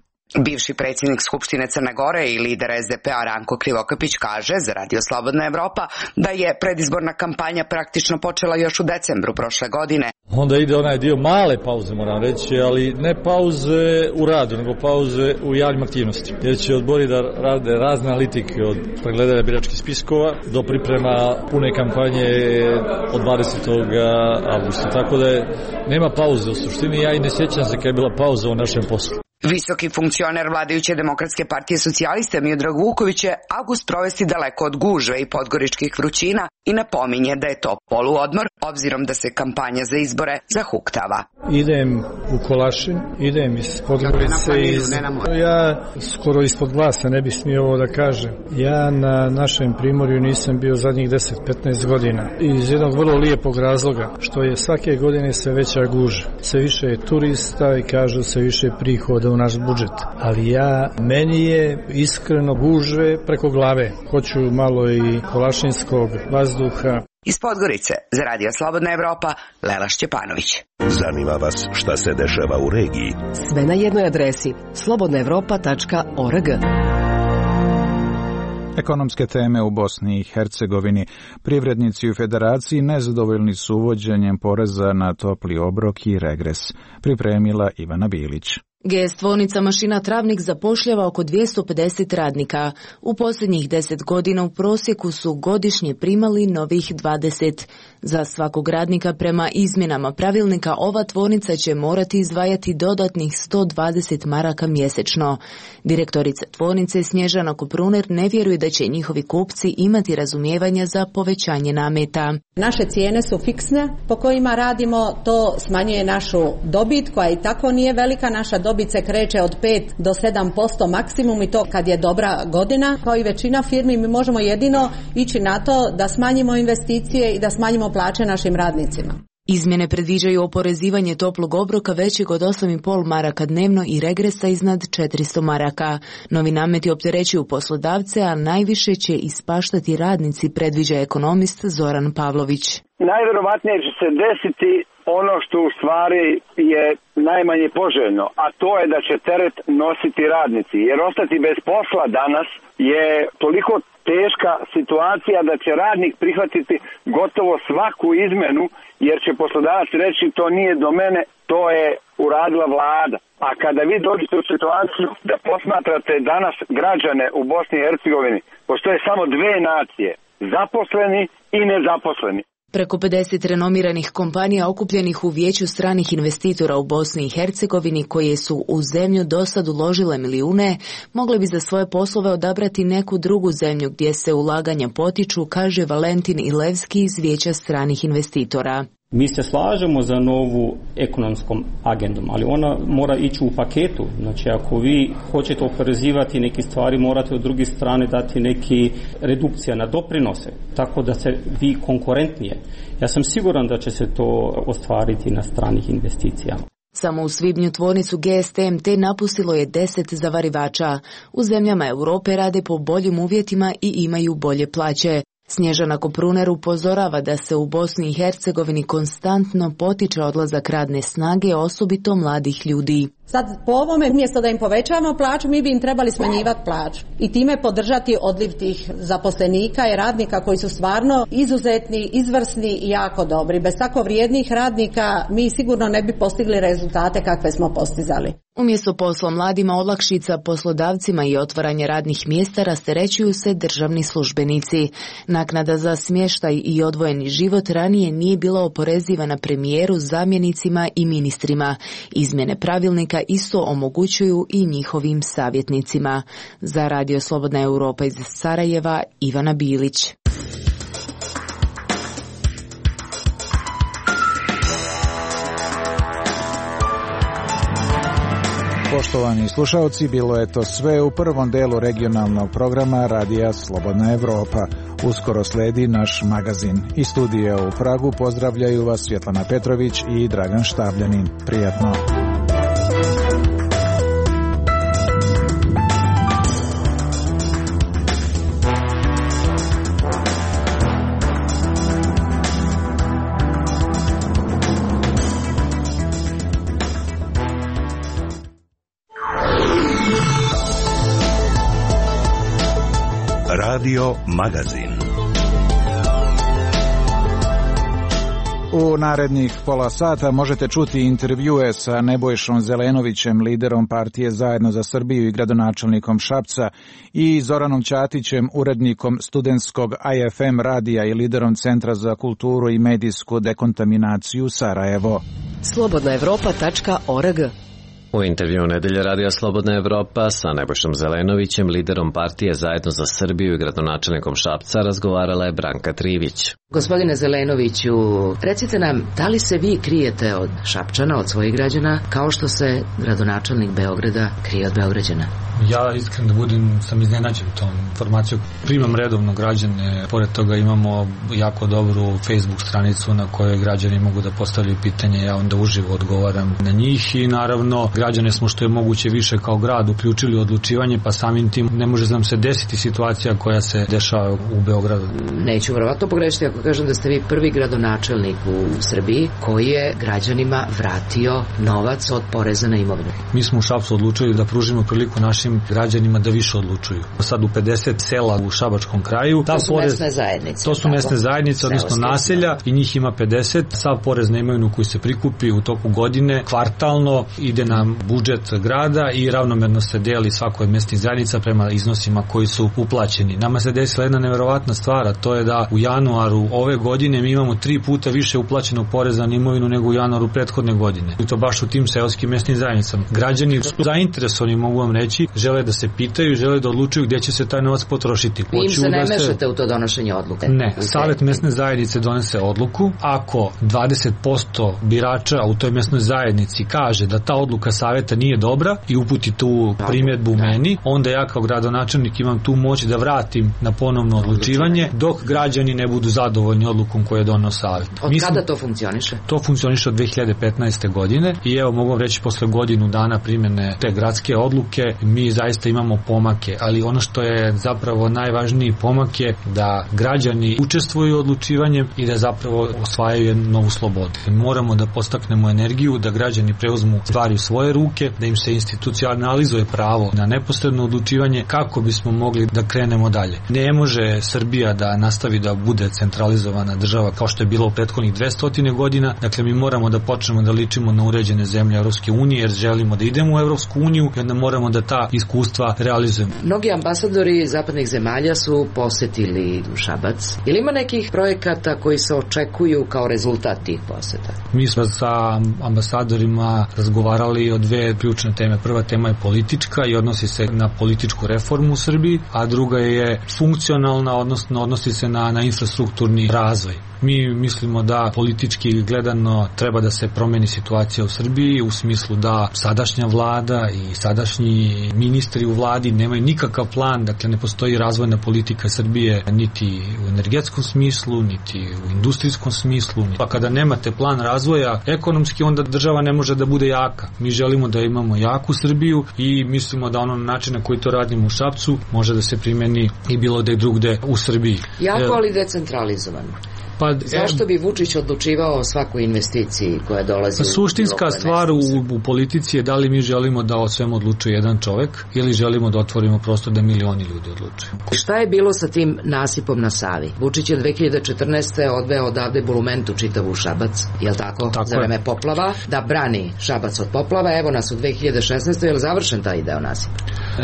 Bivši predsjednik Skupštine Crne Gore i lider es de pe a Ranko Krivokapić kaže za Radio Slobodna Evropa da je predizborna kampanja praktično počela još u decembru prošle godine. Onda ide onaj dio male pauze, moram reći, ali ne pauze u radu, nego pauze u javnim aktivnostima. Jer će odbori da rade razne analitike od pregledanja biračkih spiskova do priprema pune kampanje od dvadesetog avgusta. Tako da je, nema pauze u suštini, ja i ne sjećam se kada je bila pauza u našem poslu. Visoki funkcioner vladajuće Demokratske partije socijaliste Miodrag Vuković je avgust provesti daleko od gužve i podgoričkih vrućina i napominje da je to poluodmor, obzirom da se kampanja za izbore zahuktava. Idem u Kolašin, idem iz Podgorice, iz... ja skoro ispod glasa ne bih smio ovo da kažem. Ja na našem primorju nisam bio zadnjih deset do petnaest godina. Iz jednog vrlo lijepog razloga, što je svake godine sve veća gužva. Sve više je turista i kažu sve više prihoda u naš budžet. Ali ja, meni je iskreno gužve preko glave. Hoću malo i kolašinskog vazduha. Iz Podgorice za Radio Slobodna Evropa, Lela Šćepanović. Zanima vas šta se dešava u regiji? Sve na jednoj adresi slobodna evropa tačka org. Ekonomske teme u Bosni i Hercegovini. Privrednici u Federaciji nezadovoljni su uvođenjem poreza na topli obrok i regres. Pripremila Ivana Bilić. G S tvornica Mašina Travnik zapošljava oko dvjesto pedeset radnika. U posljednjih deset godina u prosjeku su godišnje primali novih dvadeset. Za svakog radnika prema izmjenama pravilnika ova tvornica će morati izdvajati dodatnih sto dvadeset maraka mjesečno. Direktorica tvornice Snježana Kopruner ne vjeruje da će njihovi kupci imati razumijevanja za povećanje nameta. Naše cijene su fiksne po kojima radimo, to smanjuje našu dobit koja i tako nije velika, naša dobit Dobit se kreće od pet do sedam posto maksimum i to kad je dobra godina. Kao i većina firmi mi možemo jedino ići na to da smanjimo investicije i da smanjimo plaće našim radnicima. Izmjene predviđaju oporezivanje toplog obroka većeg od osam i pol maraka dnevno i regresa iznad četiristo maraka. Novi nameti opterećuju poslodavce, a najviše će ispaštati radnici, predviđa ekonomist Zoran Pavlović. Najvjerovatnije će se desiti ono što u stvari je najmanje poželjno, a to je da će teret nositi radnici. Jer ostati bez posla danas je toliko teška situacija da će radnik prihvatiti gotovo svaku izmenu, jer će poslodavac reći to nije do mene, to je uradila vlada. A kada vi dođete u situaciju da posmatrate danas građane u Bosni i Hercegovini, postoje samo dve nacije, zaposleni i nezaposleni. Preko pedeset renomiranih kompanija okupljenih u Vijeću stranih investitora u Bosni i Hercegovini, koje su u zemlju dosad uložile milijune, mogle bi za svoje poslove odabrati neku drugu zemlju gdje se ulaganja potiču, kaže Valentin Ilevski iz Vijeća stranih investitora. Mi se slažemo za novu ekonomskom agendom, ali ona mora ići u paketu. Znači, ako vi hoćete oporezivati neke stvari, morate od druge strane dati neki redukcija na doprinose, tako da se vi konkurentnije. Ja sam siguran da će se to ostvariti na stranih investicijama. Samo u svibnju tvornicu G S T M T napustilo je deset zavarivača. U zemljama Europe rade po boljim uvjetima i imaju bolje plaće. Snježana Kopruner upozorava da se u Bosni i Hercegovini konstantno potiče odlazak radne snage, osobito mladih ljudi. Sad po ovome, mjesto da im povećavamo plaću, mi bi im trebali smanjivati plaću i time podržati odliv tih zaposlenika i radnika koji su stvarno izuzetni, izvrsni i jako dobri. Bez tako vrijednih radnika mi sigurno ne bi postigli rezultate kakve smo postizali. Umjesto posla mladima, olakšica poslodavcima i otvaranje radnih mjesta rasterećuju se državni službenici. Naknada za smještaj i odvojeni život ranije nije bila oporezivana premijeru, zamjenicima i ministrima. Izmjene pravilnika isto omogućuju i njihovim savjetnicima. Za Radio Slobodna Europa iz Sarajeva, Ivana Bilić. Poštovani slušalci, bilo je to sve u prvom delu regionalnog programa Radija Slobodna Evropa. Uskoro sledi naš magazin. Iz studija u Pragu pozdravljaju vas Svjetlana Petrović i Dragan Štavljanin. Prijatno. Radio Magazin. U narednih pola sata možete čuti intervjue sa Nebojšom Zelenovićem, liderom partije Zajedno za Srbiju i gradonačelnikom Šapca, i Zoranom Ćatićem, urednikom studentskog I F M radija i liderom Centra za kulturu i medijsku dekontaminaciju Sarajevo. slobodna evropa tačka org. U intervju Nedelje Radija Slobodna Evropa sa Nebojšom Zelenovićem, liderom partije Zajedno za Srbiju i gradonačelnikom Šapca, razgovarala je Branka Trivić. Gospodine Zelenoviću, recite nam, da li se vi krijete od Šapčana, od svojih građana, kao što se gradonačelnik Beograda krije od Beograđana? Ja iskren da budem, sam iznenađen tom informacijom. Primam redovno građane, pored toga imamo jako dobru Facebook stranicu na kojoj građani mogu da postavljaju pitanje, ja onda uživo odgovaram na njih i naravno građane smo što je moguće više kao grad uključili u odlučivanje, pa samim tim ne može nam se desiti situacija koja se dešava u Beogradu. Neću verovatno pogrešiti ako kažem da ste vi prvi gradonačelnik u Srbiji koji je građanima vratio novac od poreza na imovinu. Mi smo u Šapcu odlučili da pružimo priliku našim građanima da više odlučuju. Sad u pedeset sela u Šabačkom kraju. To su porez, mesne zajednice. To su tako? mesne zajednice, odnosno naselja, i njih ima pedeset. Sav porez na imovinu koji se prikupi u toku godine kvartalno ide na budžet grada i ravnomerno se deli svakoj od mesnih zajednica prema iznosima koji su uplaćeni. Nama se desila jedna neverovatna stvar, a to je da u januaru ove godine mi imamo tri puta više uplaćenog poreza na imovinu nego u januaru prethodne godine. I to baš u tim seoskim mesnim zajednicama. Građani su zainteresovani, mogu vam reći, žele da se pitaju, žele da odlučuju gdje će se taj novac potrošiti. Vi im se ne mešate u to donošenje odluke? Ne, Savet mesne zajednice donese odluku. Ako dvadeset posto birača u toj mesnoj zajednici kaže da ta odluka saveta nije dobra i uputi tu primjedbu meni, onda ja kao gradonačelnik imam tu moć da vratim na ponovno odlučivanje, dok građani ne budu zadovoljni odlukom koju je donao savet. Od kada to funkcioniše? To funkcioniše od dve hiljade petnaeste. godine i evo mogu reći posle godinu dana primjene te gradske odluke mi zaista imamo pomake, ali ono što je zapravo najvažniji pomak je da građani učestvuju u odlučivanjem i da zapravo osvajaju jednu novu slobodu. Moramo da postaknemo energiju, da građani preuzmu stvari u svoje ruke, da im se institucionalizuje pravo na neposredno odlučivanje kako bismo mogli da krenemo dalje. Ne može Srbija da nastavi da bude centralizovana država kao što je bilo u prethodnih dvesta godina, dakle mi moramo da počnemo da ličimo na uređene zemlje Evropske unije jer želimo da idemo u Evropsku uniju i onda moramo da ta iskustva realizujemo. Mnogi ambasadori zapadnih zemalja su posetili Šabac. Ili ima nekih projekata koji se očekuju kao rezultat tih poseta? Mi smo sa ambasadorima razgovarali o dve ključne teme. Prva tema je politička i odnosi se na političku reformu u Srbiji, a druga je funkcionalna, odnosno odnosi se na, na infrastrukturni razvoj. Mi mislimo da politički gledano treba da se promeni situacija u Srbiji u smislu da sadašnja vlada i sadašnji ministri u vladi nemaju nikakav plan, dakle ne postoji razvojna politika Srbije niti u energetskom smislu, niti u industrijskom smislu. Pa kada nemate plan razvoja ekonomski, onda država ne može da bude jaka. Mi želimo da imamo jaku Srbiju i mislimo da ono način na koji to radimo u Šapcu može da se primeni i bilo da je drugde u Srbiji. Jako, ali decentralizovano. Pa, zašto bi Vučić odlučivao o svakoj investiciji koja dolazi? Pa, suštinska stvar u, u politici je da li mi želimo da o svemu odlučuje jedan čovek ili želimo da otvorimo prostor da milioni ljudi odlučuju. Šta je bilo sa tim nasipom na Savi? Vučić je dve hiljade četrnaeste. odveo odavde bulumentu čitavu Šabac, jel tako? tako za vreme poplava, da brani Šabac od poplava. Evo nas u dve hiljade šesnaestoj. je li završen taj deo nasipa?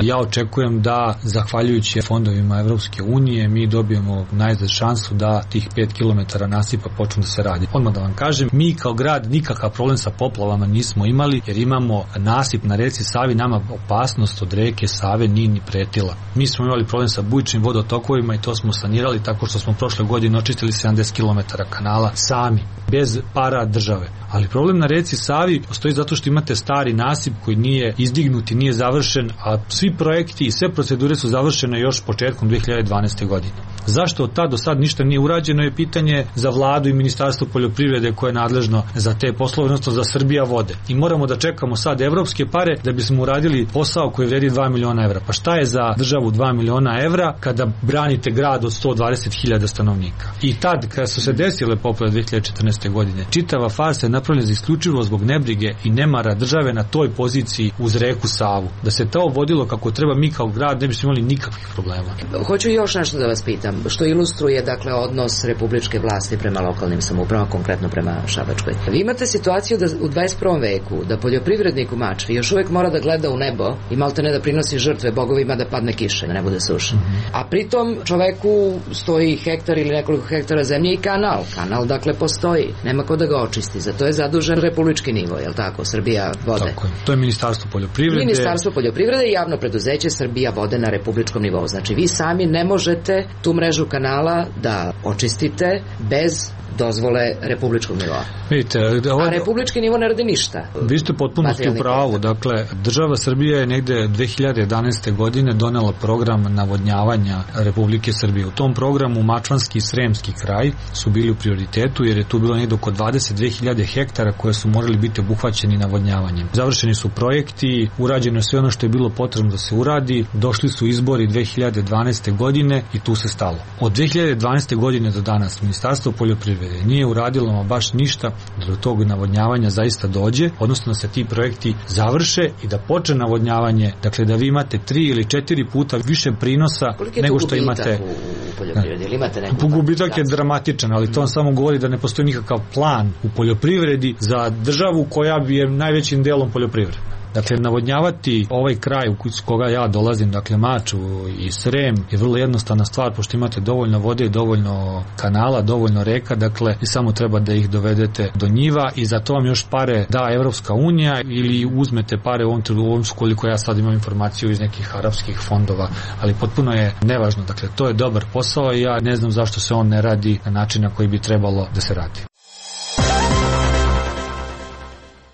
Ja očekujem da, zahvaljujući fondovima Evropske unije, mi dobijemo najzad šansu da tih pet kilometara nasipa počnu da se radi. Odmah da vam kažem, mi kao grad nikakav problem sa poplavama nismo imali, jer imamo nasip na reci Savi, nama opasnost od reke Save nije ni pretila. Mi smo imali problem sa bujičnim vodotokovima i to smo sanirali tako što smo prošle godine očistili sedamdeset kilometara kanala sami. bez para države. Ali problem na reci Savi postoji zato što imate stari nasip koji nije izdignut i nije završen, a svi projekti i sve procedure su završene još početkom dve hiljade dvanaeste. godine. Zašto od tada do sad ništa nije urađeno je pitanje za vladu i ministarstvo poljoprivrede koje je nadležno za te poslove, odnosno za Srbija vode. I moramo da čekamo sad evropske pare da bismo uradili posao koji vredi dva miliona evra. Pa šta je za državu dva miliona evra kada branite grad od sto dvadeset hiljada stanovnika? I tad, kada su se desile poplave dve hiljade četrnaeste. godine, čitava farsa je napravljena isključivo zbog nebrige i nemara države na toj poziciji uz reku Savu. Da se to vodilo kako treba, mi kao grad ne bismo imali nikakvih problema. Hoću još nešto da vas pitam, što ilustruje dakle odnos republičke vlasti prema lokalnim samoupravama, konkretno prema Šabačkoj. Vi imate situaciju da u dvadeset prvom veku da poljoprivrednik u Mačvi još uvek mora da gleda u nebo i malte ne da prinosi žrtve bogovima da padne kiša, da ne bude suša. Mm-hmm. A pritom čoveku stoji hektar ili nekoliko hektara zemlje i kanal. Kanal dakle postoji, nema ko da ga očisti. Za to je zadužen republički nivo, je li tako? Srbija vode. Tako je. To je Ministarstvo poljoprivrede. Ministarstvo poljoprivrede i javno preduzeće Srbija vode na republičkom nivou. Znači vi sami ne možete tu mrežu kanala da očistite bez dozvole republičkog nivoa. Vidite, ovo... A republički nivo ne radi ništa. Vi ste potpuno u pravu. Dakle, država Srbije je negde dve hiljade jedanaeste. godine donela program navodnjavanja Republike Srbije. U tom programu Mačvanski i Sremski kraj su bili u prioritetu jer je tu bilo negde oko dvadeset dve hiljade hektara koje su morali biti obuhvaćeni navodnjavanjem. Završeni su projekti, urađeno je sve ono što je bilo potrebno da se uradi, došli su izbori dve hiljade dvanaeste. godine i tu se stalo. Od dve hiljade dvanaeste. godine do danas Ministarstvo poljoprivrede nije uradilo ma baš ništa da do tog navodnjavanja zaista dođe, odnosno da se ti projekti završe i da počne navodnjavanje, dakle da vi imate tri ili četiri puta više prinosa nego što imate u, u poljoprivredi, ili imate neku gubitak je dramatičan, ali to on samo govori da ne postoji nikakav plan u poljoprivredi za državu koja bi je najvećim delom poljoprivreda. Dakle, navodnjavati ovaj kraj u koga ja dolazim, dakle Maču i Srem, je vrlo jednostavna stvar, pošto imate dovoljno vode, dovoljno kanala, dovoljno reka, dakle, i samo treba da ih dovedete do njiva i za to vam još pare da Evropska unija ili uzmete pare u ovom trenutku, koliko ja sad imam informaciju iz nekih arapskih fondova, ali potpuno je nevažno. Dakle, to je dobar posao i ja ne znam zašto se on ne radi na način na koji bi trebalo da se radi.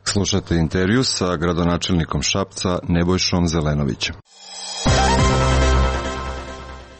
Slušate intervju sa gradonačelnikom Šapca Nebojšom Zelenovićem.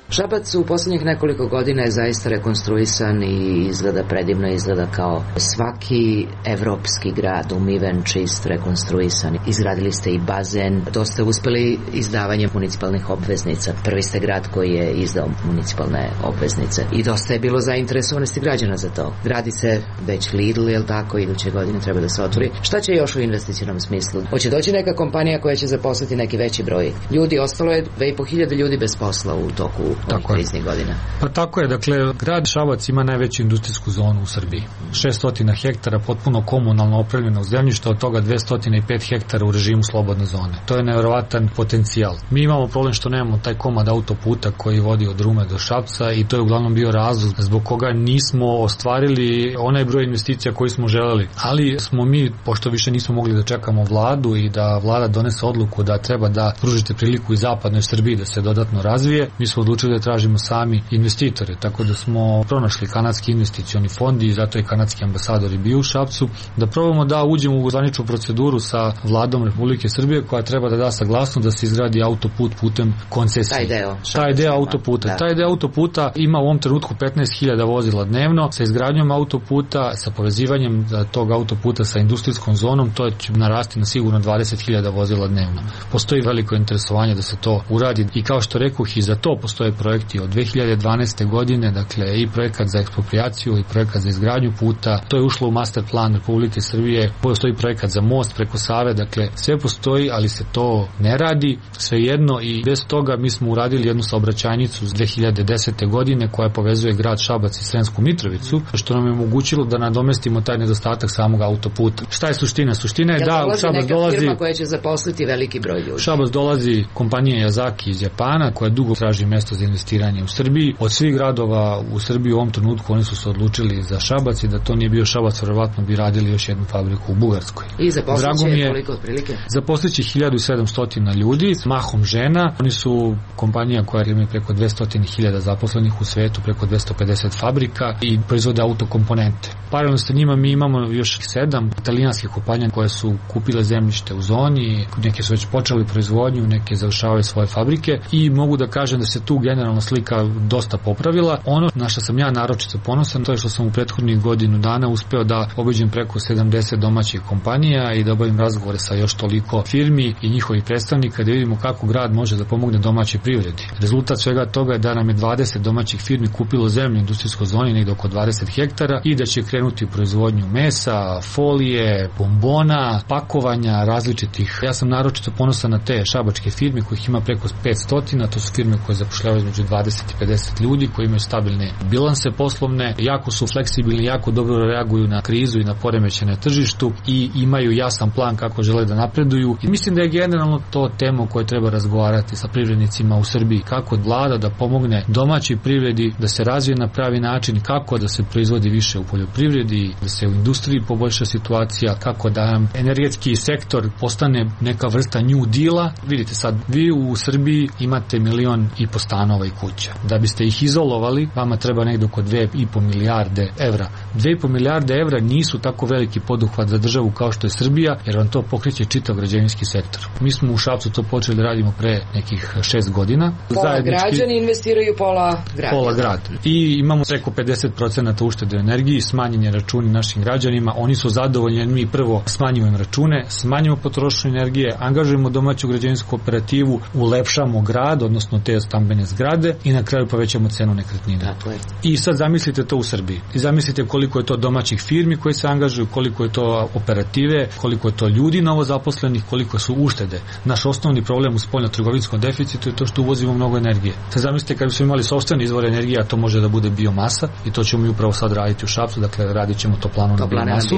Šabac u poslednjih nekoliko godina je zaista rekonstruisan i izgleda predivno, izgleda kao svaki evropski grad, umiven, čist, rekonstruisan. Izgradili ste i bazen, dosta uspeli izdavanjem municipalnih obveznica. Prvi ste grad koji je izdao municipalne obveznice i dosta je bilo zainteresovanosti građana za to. Gradi se već Lidl, je li tako, iduće godine treba da se otvori. Šta će još u investicionom smislu? Hoće doći neka kompanija koja će zaposliti neki veći broj ljudi, ostalo je dve i po hiljade ljudi bez posla u toku Tako je. Godina. Pa tako je, dakle, grad Šabac ima najveću industrijsku zonu u Srbiji. šesto hektara potpuno komunalno opremljeno zemljište, od toga dvesta pet hektara u režimu slobodne zone. To je nevjerovatan potencijal. Mi imamo problem što nemamo taj komad autoputa koji vodi od Rume do Šapca i to je uglavnom bio razlog zbog koga nismo ostvarili onaj broj investicija koji smo želeli. Ali smo mi, pošto više nismo mogli da čekamo vladu i da vlada donese odluku da treba da pružite priliku i zapadnoj Srbiji da se dodatno razvije, mi smo odlučili da tražimo sami investitore, tako da smo pronašli kanadski investicioni fond i zato je kanadski ambasador i bio u Šapcu, da probamo da uđemo u zvaničnu proceduru sa vladom Republike Srbije koja treba da da saglasnost da se izgradi autoput putem koncesije. Taj deo. Taj deo autoputa. Da. Taj deo autoputa ima u ovom trenutku petnaest hiljada vozila dnevno. Sa izgradnjom autoputa, sa povezivanjem tog autoputa sa industrijskom zonom, to će narasti na sigurno dvadeset hiljada vozila dnevno. Postoji veliko interesovanje da se to uradi i kao što rekoh, i za to postoje projekti od dve hiljade dvanaeste. godine, dakle i projekat za eksproprijaciju i projekat za izgradnju puta, to je ušlo u master plan Republike Srbije, postoji projekat za most preko Save, dakle sve postoji, ali se to ne radi, svejedno i bez toga mi smo uradili jednu saobraćajnicu iz dve hiljade desete. godine koja povezuje grad Šabac i Sremsku Mitrovicu, što nam je omogućilo da nadomestimo taj nedostatak samog autoputa. Šta je suština? Suština je ja da u Šabac dolazi firma koja će zaposliti veliki broj ljudi. Šabac dolazi kompanija Yazaki iz Japana koja dugo traži mesto za za investiranje u Srbiji. Od svih gradova u Srbiji u ovom trenutku oni su se odlučili za Šabac i da to nije bio Šabac, verovatno bi radili još jednu fabriku u Bugarskoj. I zaposliće koliko otprilike? Zaposliće hiljadu sedamsto ljudi, mahom žena. Oni su kompanija koja ima preko dvesta hiljada zaposlenih u svetu, preko dvesta pedeset fabrika i proizvode autokomponente. Paralelno sa njima mi imamo još sedam italijanskih kompanija koje su kupile zemljište u zoni, neke su već počeli proizvodnju, neke završavaju svoje fabrike i mogu da kažem da se tu generalna slika dosta popravila. Ono na što sam ja naročito ponosan, to je što sam u prethodnih godinu dana uspeo da obiđem preko sedamdeset domaćih kompanija i da obavim razgovore sa još toliko firmi i njihovih predstavnika da vidimo kako grad može da pomogne domaćoj privredi. Rezultat svega toga je da nam je dvadeset domaćih firmi kupilo zemlju u industrijskoj zoni, negde oko dvadeset hektara i da će krenuti u proizvodnju mesa, folije, bombona, pakovanja različitih. Ja sam naročito ponosan na te šabačke firme kojih ima preko petsto, to su firme koje zapošljavaju između dvadeset i pedeset ljudi, koji imaju stabilne bilanse poslovne, jako su fleksibilni, jako dobro reaguju na krizu i na poremećaje na tržištu i imaju jasan plan kako žele da napreduju. I mislim da je generalno to tema o kojoj treba razgovarati sa privrednicima u Srbiji, kako vlada da pomogne domaćoj privredi da se razvije na pravi način, kako da se proizvodi više u poljoprivredi, da se u industriji poboljša situacija, kako da nam energetski sektor postane neka vrsta new deala. Vidite sad, vi u Srbiji imate milion i po stanova i kuća. Da biste ih izolovali, vama treba negdje oko dve i po milijarde evra. Dve i po milijarde evra nisu tako veliki poduhvat za državu kao što je Srbija, jer vam to pokreće čitav građevinski sektor. Mi smo u Šapcu to počeli da radimo pre nekih šest godina. Pola Zajednički, građani investiraju, pola grad. Pola grad. I imamo preko pedeset procenata uštede energiji, smanjenje računi našim građanima. Oni su zadovoljni, jer mi prvo smanjujemo račune, smanjujemo potrošnju energije, angažujemo domaću građevinsku operativu, ulepšamo grad, odnosno te stambene zgrade i na kraju povećamo cenu nekretnina. I sad zamislite to u Srbiji. I zamislite koliko je to domaćih firmi koji se angažuju, koliko je to operative, koliko je to ljudi novozaposlenih, koliko su uštede. Naš osnovni problem u spoljno-trgovinskom deficitu je to što uvozimo mnogo energije. Sad zamislite kad bismo imali sopstveni izvor energije, a to može da bude biomasa i to ćemo mi upravo sad raditi u Šapcu, dakle radit ćemo to planu na biomasu.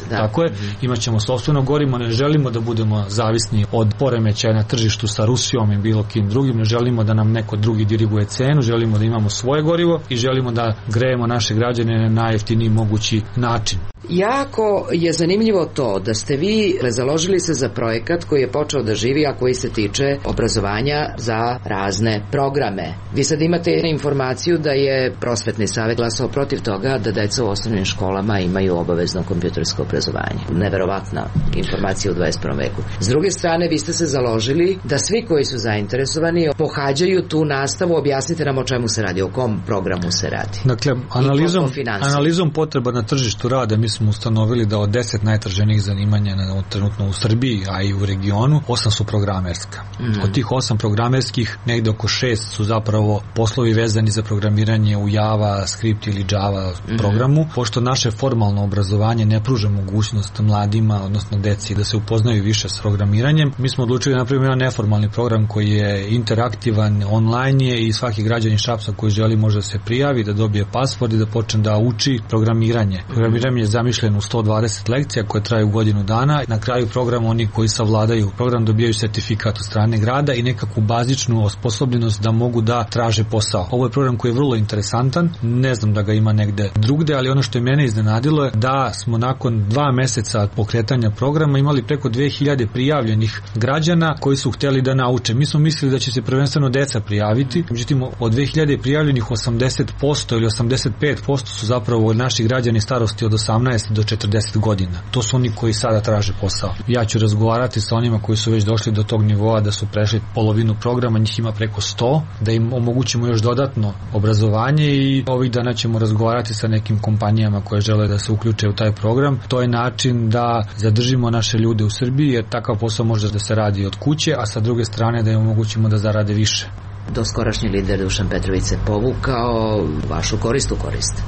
Da. Tako je, mm-hmm. Imaćemo sopstveno gorivo, ne želimo da budemo zavisni od poremećaja na tržištu sa Rusijom i bilo kim drugim, ne želimo da nam neko drugi diriguje cenu, želimo da imamo svoje gorivo i želimo da grejemo naše građane na najjeftiniji mogući način. Jako je zanimljivo to da ste vi založili se za projekat koji je počeo da živi, a koji se tiče obrazovanja za razne programe. Vi sad imate informaciju da je Prosvetni savet glasao protiv toga da deca u osnovnim školama imaju obavezno kompjutersko obrazovanje. Neverovatna informacija u dvadeset prvom veku. S druge strane, vi ste se založili da svi koji su zainteresovani pohađaju tu nastavu. Objasnite nam o čemu se radi, o kom programu se radi. Dakle, analizom, analizom potreba na tržištu rada mi smo ustanovili da od deset najtraženijih zanimanja na, trenutno u Srbiji, a i u regionu, osam su programerska. Mm. Od tih osam programerskih, negde oko šest su zapravo poslovi vezani za programiranje u Java, Script ili Java mm. programu. Pošto naše formalno obrazovanje ne pruža mogućnost mladima, odnosno deci, da se upoznaju više s programiranjem, mi smo odlučili da napravimo jedan neformalni program koji je interaktivan, online je i svaki građanin Šapca koji želi može da se prijavi, da dobije pasport i da počne da uči programiranje. Programiranje je zamišljen u sto dvadeset lekcija koje traju godinu dana. Na kraju programa oni koji savladaju program dobijaju sertifikat od strane grada i nekakvu bazičnu osposobljenost da mogu da traže posao. Ovo je program koji je vrlo interesantan, ne znam da ga ima negde drugde, ali ono što je mene iznenadilo je da smo nakon dva meseca pokretanja programa imali preko dve hiljade prijavljenih građana koji su hteli da nauče. Mi smo mislili da će se prvenstveno deca prijaviti, međutim od dve hiljade prijavljenih osamdeset posto ili osamdeset pet posto su zapravo naši građani starosti od osamnaest do četrdeset godina. To su oni koji sada traže posao. Ja ću razgovarati sa onima koji su već došli do tog nivoa da su prešli polovinu programa, njih ima preko sto, da im omogućimo još dodatno obrazovanje i ovih dana ćemo razgovarati sa nekim kompanijama koje žele da se uključe u taj program. To je način da zadržimo naše ljude u Srbiji, jer takav posao može da se radi od kuće, a sa druge strane da im omogućimo da zarade više. Doskorašnji lider Dušan Petrović se povukao, vašu korist u korist.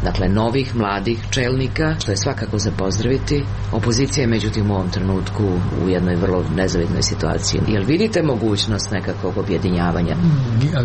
dakle novih, mladih čelnika, što je svakako za pozdraviti. Opozicija je međutim u ovom trenutku u jednoj vrlo nezavidnoj situaciji. Jel vidite mogućnost nekakvog objedinjavanja?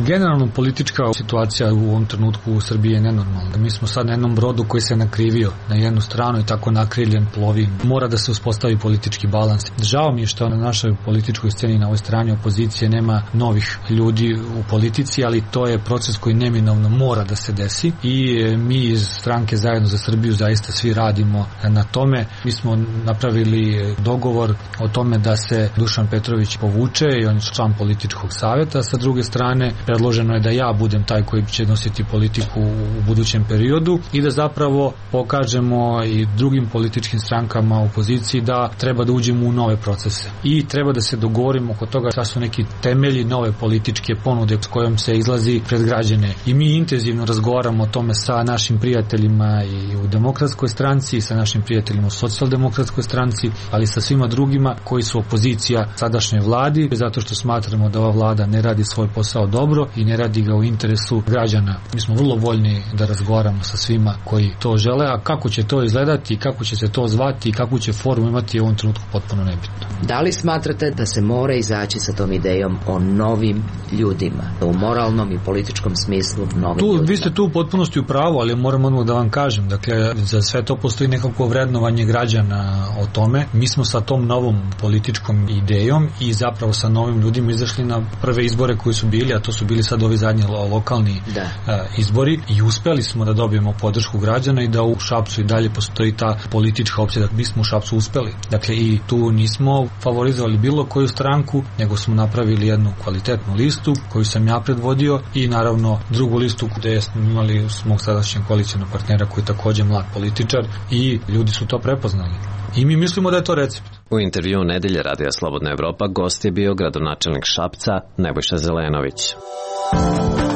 Generalno politička situacija u ovom trenutku u Srbiji je nenormalna. Mi smo sad na jednom brodu koji se nakrivio na jednu stranu i tako nakriljen plovi. Mora da se uspostavi politički balans. Žao mi je što na našoj političkoj sceni na ovoj strani opozicije nema novih ljudi u politici, ali to je proces koji neminovno mora da se desi i mi iz stranke Zajedno za Srbiju zaista svi radimo na tome. Mi smo napravili dogovor o tome da se Dušan Petrović povuče i on je član političkog savjeta. Sa druge strane, predloženo je da ja budem taj koji će nositi politiku u budućem periodu i da zapravo pokažemo i drugim političkim strankama u opoziciji da treba da uđemo u nove procese i treba da se dogovorimo oko toga šta su neki temelji nove političke ponude s kojom se izlazi pred građane. I mi intenzivno razgovaramo o tome sa našim prijateljima i u Demokratskoj stranci i sa našim prijateljima u Socijaldemokratskoj stranci, ali sa svima drugima koji su opozicija sadašnjoj vladi, zato što smatramo da ova vlada ne radi svoj posao dobro i ne radi ga u interesu građana. Mi smo vrlo voljni da razgovaramo sa svima koji to žele, a kako će to izgledati, kako će se to zvati i kakvu će formu imati je u ovom trenutku potpuno nebitno. Da li smatrate da se mora izaći sa tom idejom o novim ljudima, u moralnom i političkom smislu novim tu, ljudima? Vi ste tu u potpunosti u pravu, ali moram odmah da vam kažem, dakle, za sve to postoji nekako vrednovanje građana o tome. Mi smo sa tom novom političkom idejom i zapravo sa novim ljudima izašli na prve izbore koji su bili, a to su bili sad ovi zadnji lokalni da. uh, izbori i uspeli smo da dobijemo podršku građana i da u Šapcu i dalje postoji ta politička opcija, da mi smo u Šapcu uspeli. Dakle, i tu nismo favorizovali bilo koju stranku, nego smo napravili jednu kvalitetnu listu koju sam ja predvodio i naravno drugu listu gde smo imali mog sadašnjeg koalicijnog partnera koji je takođe mlad političar i ljudi su to prepoznali. I mi mislimo da je to recept. U intervju Nedelje Radija Slobodna Evropa gost je bio gradonačelnik Šapca Nebojša Zelenović.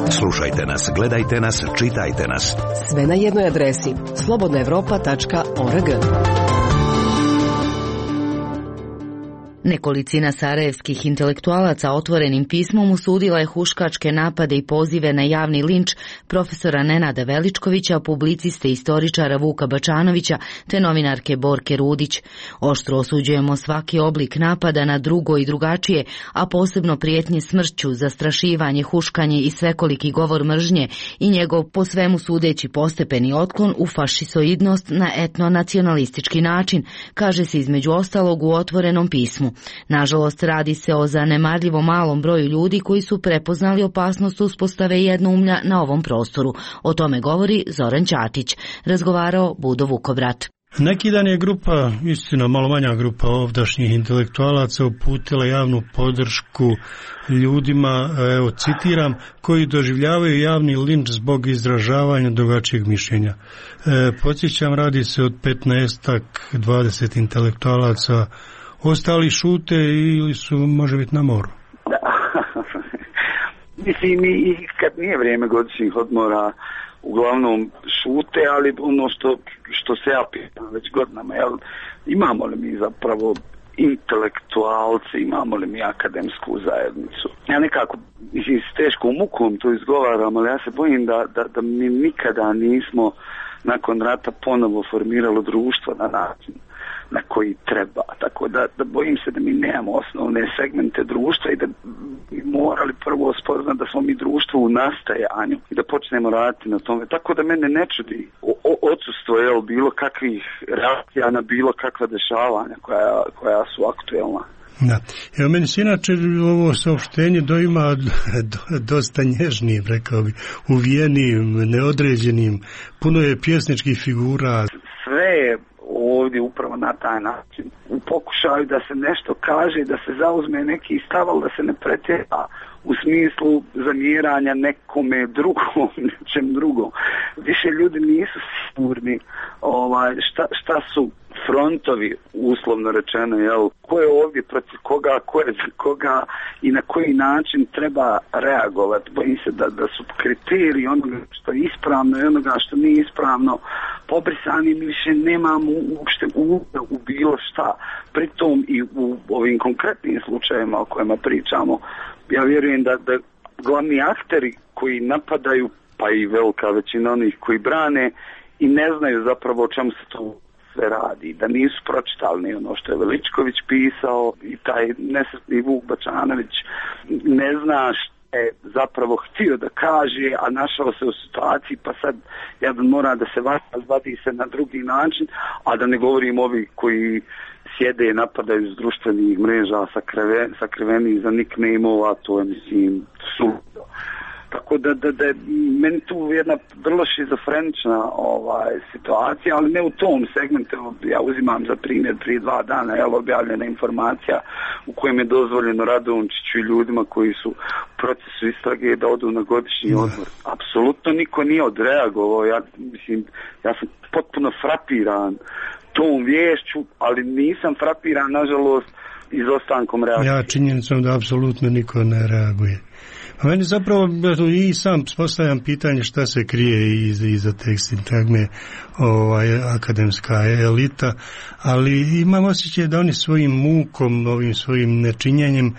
Slušajte nas, gledajte nas, čitajte nas. Sve na jednoj adresi slobodna evropa tačka org. Nekolicina sarajevskih intelektualaca otvorenim pismom usudila je huškačke napade i pozive na javni linč profesora Nenada Veličkovića, publiciste i istoričara Vuka Bačanovića te novinarke Borke Rudić. Oštro osuđujemo svaki oblik napada na drugo i drugačije, a posebno prijetnje smrću, zastrašivanje, huškanje i svekoliki govor mržnje i njegov po svemu sudeći postepeni otklon u fašisoidnost na etno-nacionalistički način, kaže se između ostalog u otvorenom pismu. Nažalost, radi se o zanemarljivo malom broju ljudi koji su prepoznali opasnost uspostave jednoumlja na ovom prostoru. O tome govori Zoran Ćatić. Razgovarao Budo Vukobrat. Neki dan je grupa, istina malo manja grupa ovdašnjih intelektualaca uputila javnu podršku ljudima, evo citiram, koji doživljavaju javni linč zbog izražavanja drugačijeg mišljenja. E, podsjećam, radi se od petnaestak dvadeset intelektualaca. Ostali šute ili su, može biti, na moru? Da. Mislim, i kad nije vrijeme godišnjih odmora, uglavnom šute, ali ono što, što se ja pitam već godinama, jel, imamo li mi zapravo intelektualci, imamo li mi akademsku zajednicu? Ja nekako, mislim, s teškom mukom to izgovaram, ali ja se bojim da, da, da mi nikada nismo nakon rata ponovo formiralo društvo na način na koji treba. Tako da, da bojim se da mi nemamo osnovne segmente društva i da bi morali prvo spoznati da smo mi društvo u nastajanju i da počnemo raditi na tome. Tako da mene ne čudi odsustvo je bilo kakvih reakcija na bilo kakva dešavanja koja, koja su aktuelna. Da. Evo, meni se inače ovo saopštenje doima dosta nježnim, rekao bi, uvijenim, neodređenim, puno je pjesničkih figura. Sve je ovdje upravo na taj način. U pokušaju da se nešto kaže, da se zauzme neki stav, ali da se ne pretjera u smislu zamjeranja nekome drugom, nečem drugom. Više ljudi nisu sigurni ovaj, šta, šta su frontovi, uslovno rečeno, jel, ko je ovdje protiv koga, ko je za koga i na koji način treba reagovati. Bojim se da, da su kriteriji onoga što je ispravno i onoga što nije ispravno pobrisani, mi više nemamo uopšte uvida u bilo šta. Pritom i u ovim konkretnim slučajevima o kojima pričamo, ja vjerujem da, da glavni akteri koji napadaju, pa i velika većina onih koji brane, i ne znaju zapravo o čemu se tu sve radi, da nisu pročitali ni ono što je Veličković pisao i taj nesretni Vuk Bačanović ne zna što je zapravo htio da kaže, a našao se u situaciji pa sad jedan mora da se vadi se na drugi način, a da ne govorim ovi koji sjede i napadaju s društvenih mreža sakriveni, sakriveni za nickname-ova, to je mislim suludo. Tako da, da, da je meni tu jedna vrlo šizofrenična ovaj, situacija, ali ne u tom segmentu. Ja uzimam za primjer prije dva dana je objavljena informacija u kojem je dozvoljeno Radončiću i ljudima koji su u procesu istrage da odu na godišnji odmor. Apsolutno niko nije odreagovao. Ja, mislim, ja sam potpuno frapiran tom viješću, ali nisam frapiran, nažalost, izostankom reakcije. Ja činjenicom da apsolutno niko ne reaguje. A meni zapravo i sam postavljam pitanje šta se krije iza, iza te sintagme ovaj, akademska elita, ali imam osjećaj da oni svojim mukom, ovim svojim nečinjenjem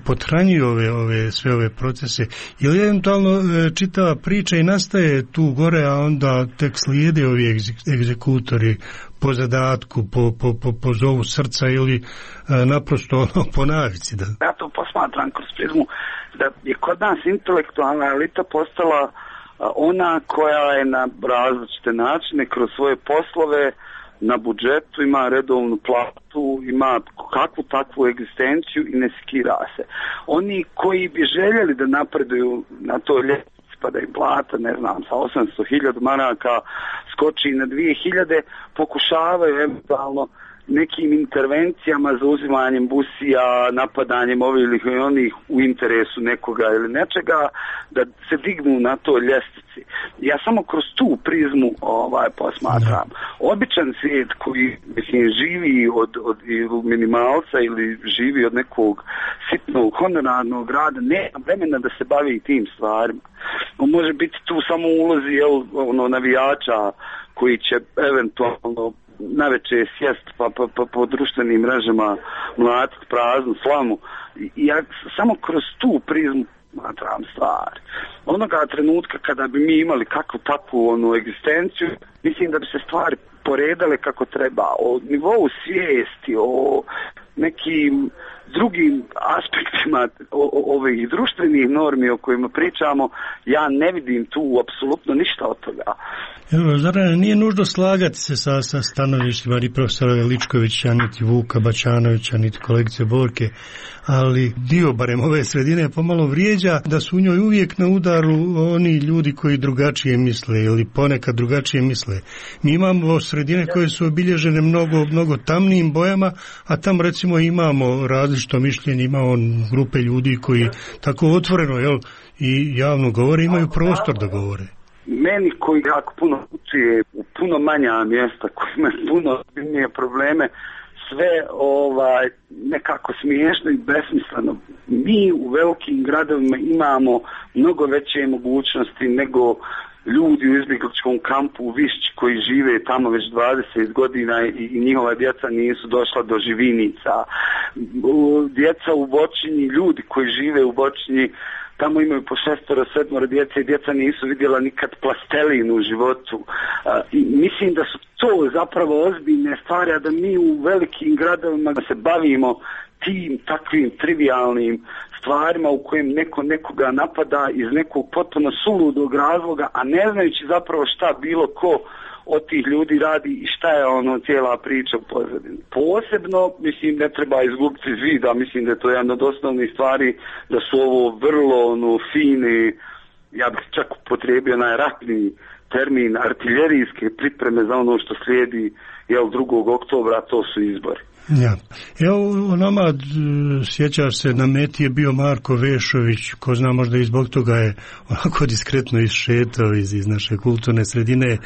pothranjuju ove, ove, sve ove procese. Ili eventualno čitava priča i nastaje tu gore, a onda tek slijede ovi egzekutori po zadatku, po, po, po, po zovu srca ili naprosto ono, po navici. Da. Ja to posmatram kroz prizmu da je kod nas intelektualna elita postala ona koja je na različite načine kroz svoje poslove na budžetu, ima redovnu platu, ima kakvu takvu egzistenciju i ne skira se. Oni koji bi željeli da napreduju na toj ljestvici pa da im plata, ne znam, sa osamsto hiljada maraka skoči na dvije hiljade, pokušavaju eventualno nekim intervencijama za uzimanjem busija, napadanjem ovih ili onih u interesu nekoga ili nečega, da se dignu na toj ljestvici. Ja samo kroz tu prizmu ovaj, posmatram. Običan svijet koji mislim, živi od, od minimalca ili živi od nekog sitnog honorarnog rada, nema vremena da se bavi tim stvarima. On može biti tu samo u ulozi jel, ono, navijača koji će eventualno naveče sjest pa, pa, pa po društvenim mrežama mlatiti praznu slamu. I ja samo kroz tu prizmu matram stvari. Onoga trenutka kada bi mi imali kakvu takvu onu egzistenciju, mislim da bi se stvari poredale kako treba. O nivou svijesti, o nekim drugim aspektima o, o, ovih društvenih normi o kojima pričamo, ja ne vidim tu apsolutno ništa od toga. Evo, zar nije nužno slagati se sa, sa stanovištima ni profesora Veličkovića, niti Vuka Bačanovića, niti kolegice Borke, ali dio barem ove sredine pomalo vrijeđa da su u njoj uvijek na udaru oni ljudi koji drugačije misle ili ponekad drugačije misle. Mi imamo sredine koje su obilježene mnogo, mnogo tamnijim bojama, a tam recimo imamo različito mišljenje, imamo grupe ljudi koji tako otvoreno jel, i javno govore, imaju prostor da govore. Meni koji jako puno učije u puno manja mjesta, koji imaju puno ozbiljnije probleme, sve ovaj nekako smiješno i besmisleno. Mi u velikim gradovima imamo mnogo veće mogućnosti nego ljudi u izbjegličkom kampu u Višći koji žive tamo već dvadeset godina i, i njihova djeca nisu došla do živinica. Djeca u Bočinji, ljudi koji žive u Bočinji, tamo imaju po šestoro, sedmoro djece i djeca nisu vidjela nikad plastelin u životu. A, i mislim da su to zapravo ozbiljne stvari, a da mi u velikim gradovima se bavimo tim takvim trivialnim stvarima u kojem neko nekoga napada iz nekog potpuno suludog razloga, a ne znajući zapravo šta bilo ko od tih ljudi radi i šta je ono cijela priča u pozadini. Posebno, mislim, ne treba izgubiti iz vida, mislim da je to jedna od osnovnih stvari, da su ovo vrlo ono, fine, ja bih čak upotrijebio najratniji termin, artiljerijske pripreme za ono što slijedi jel, drugog oktobra, to su izbori. Ja. Evo, nama sjećaš se, na meti je bio Marko Vešović, ko zna možda i zbog toga je onako diskretno iššetao iz, iz naše kulturne sredine. E,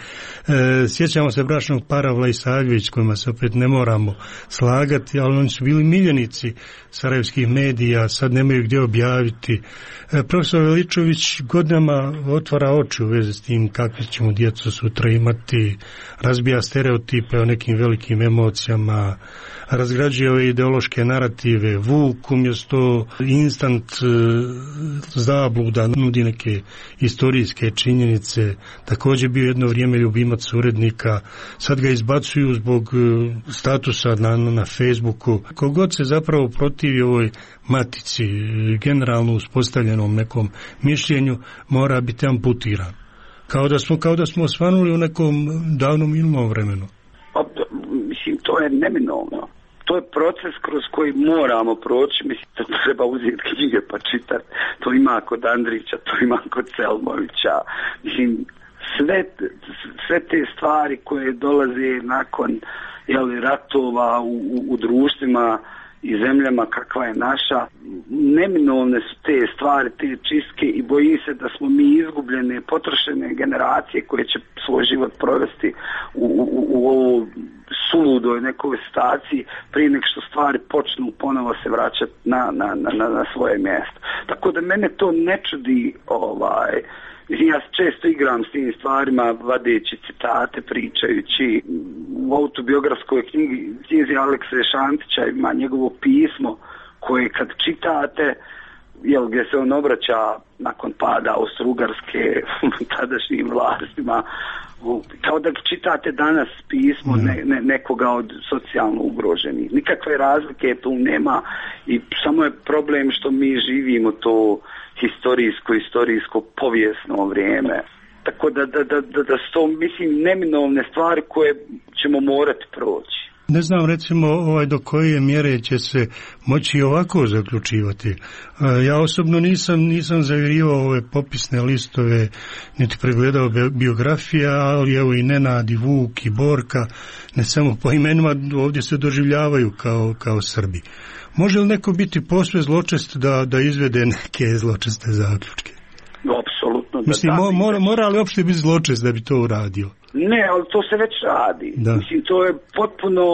sjećamo se bračnog para Vlajsavljević, kojima se opet ne moramo slagati, ali oni su bili miljenici sarajevskih medija, sad nemaju gdje objaviti. E, profesor Veličković godinama otvara oči u vezi s tim kakve ćemo djecu sutra imati, razbija stereotipe o nekim velikim emocijama, razgrađuje ove ideološke narative. Vuk umjesto instant zabluda nudi neke historijske činjenice. Također bio jedno vrijeme ljubimac urednika. Sad ga izbacuju zbog statusa na, na Facebooku. Kogod se zapravo protivi ovoj matici, generalno uspostavljenom nekom mišljenju, mora biti amputiran. Kao da smo, kao da smo osvanuli u nekom davnom minulom vremenu. Pa, mislim, to je neminovno. To je proces kroz koji moramo proći. Mislim, to treba uzeti knjige pa čitati. To ima kod Andrića, to ima kod Selmovića. Mislim, sve, sve te stvari koje dolaze nakon jeli, ratova u, u, u društvima i zemljama kakva je naša, neminovne su te stvari, te čistke i bojim se da smo mi izgubljene, potrošene generacije koje će svoj život provesti u, u, u ovoj suludoj nekoj situaciji prije nek što stvari počnu ponovo se vraćati na, na, na, na svoje mjesto. Tako da mene to ne čudi, ovaj, ja često igram s tim stvarima, vadeći citate, pričajući. U autobiografskoj knjigi, knjizi Alekse Šantića ima njegovo pismo koje kad čitate, jel, gdje se on obraća nakon pada Austro-Ugarske tadašnjim vlastima, kao da čitate danas pismo ne, ne, nekoga od socijalno ugroženih. Nikakve razlike tu nema i samo je problem što mi živimo to historijsko, historijsko, povijesno vrijeme. Tako da, da, da, da, da su to, mislim, neminovne stvari koje ćemo morati proći. Ne znam, recimo, ovaj, do koje mjere će se moći ovako zaključivati. Ja osobno nisam, nisam zavirivao ove popisne listove, niti pregledao biografija, ali evo i Nenad, i Vuk, i Borka, ne samo po imenima, ovdje se doživljavaju kao, kao Srbi. Može li neko biti posve zločest da, da izvede neke zločeste zaključke? Apsolutno. Mislim, da, mo, mora, mora li uopšte biti zločest da bi to uradio? Ne, ali to se već radi. Da. Mislim, to je potpuno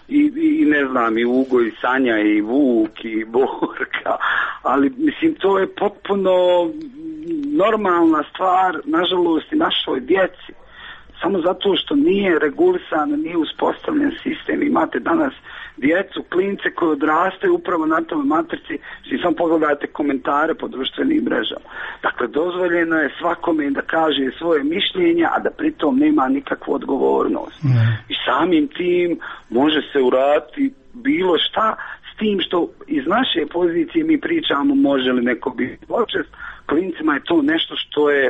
i, i ne znam, i Ugo, i Sanja, i Vuk, i Borka, ali mislim, to je potpuno normalna stvar, nažalost, i našoj djeci. Samo zato što nije regulisan, nije uspostavljen sistem. Imate danas djecu, klince koji odrastaju upravo na tome matrici, svi samo pogledajte komentare po društvenim mrežama. Dakle, dozvoljeno je svakome da kaže svoje mišljenja, a da pritom nema nikakvu odgovornost. Mm. I samim tim može se uraditi bilo šta, s tim što iz naše pozicije mi pričamo može li neko biti zločest, klincima je to nešto što je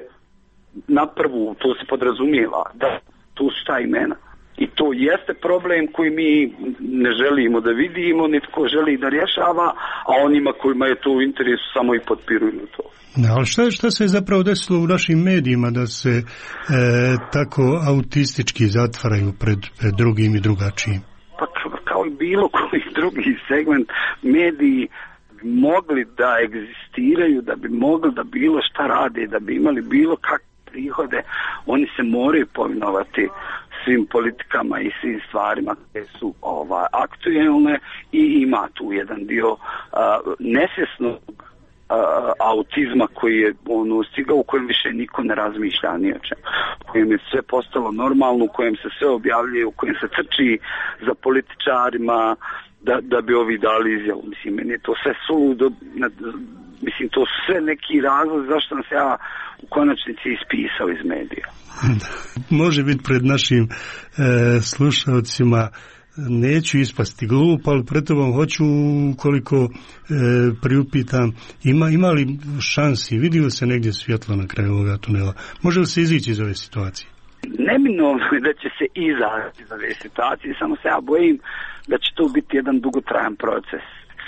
na prvu, to se podrazumijeva, da, tu su ta imena. I to jeste problem koji mi ne želimo da vidimo, nitko želi da rješava, a onima kojima je to u interesu samo i potpiruju to. Ne, ali šta, šta se je zapravo desilo u našim medijima da se e, tako autistički zatvaraju pred, pred drugim i drugačijim? Pa kao i bilo koji drugi segment, mediji mogli da egzistiraju, da bi mogli da bilo šta rade, da bi imali bilo kakve prihode, oni se moraju povinovati svim politikama i svim stvarima koje su ovaj, aktuelne i ima tu jedan dio uh, nesvjesnog uh, autizma koji je ono, stigao, u kojem više niko ne razmišlja ni o čemu, u kojem je sve postalo normalno, u kojem se sve objavljuje, u kojem se trči za političarima da, da bi ovi dali izjavu. Mislim, meni je to sve suludo, mislim, to su sve neki razlog zašto sam se ja u konačnici ispisao iz medija. Može biti pred našim e, slušalcima, neću ispasti glup, ali pred tobom hoću, koliko e, priupitam, ima, ima li šansi, vidi li se negdje svjetlo na kraju ovoga tunela? Može li se izići iz ove situacije? Neminovno je da će se izaći iz ove situacije, samo se ja bojim da će to biti jedan dugotrajan proces.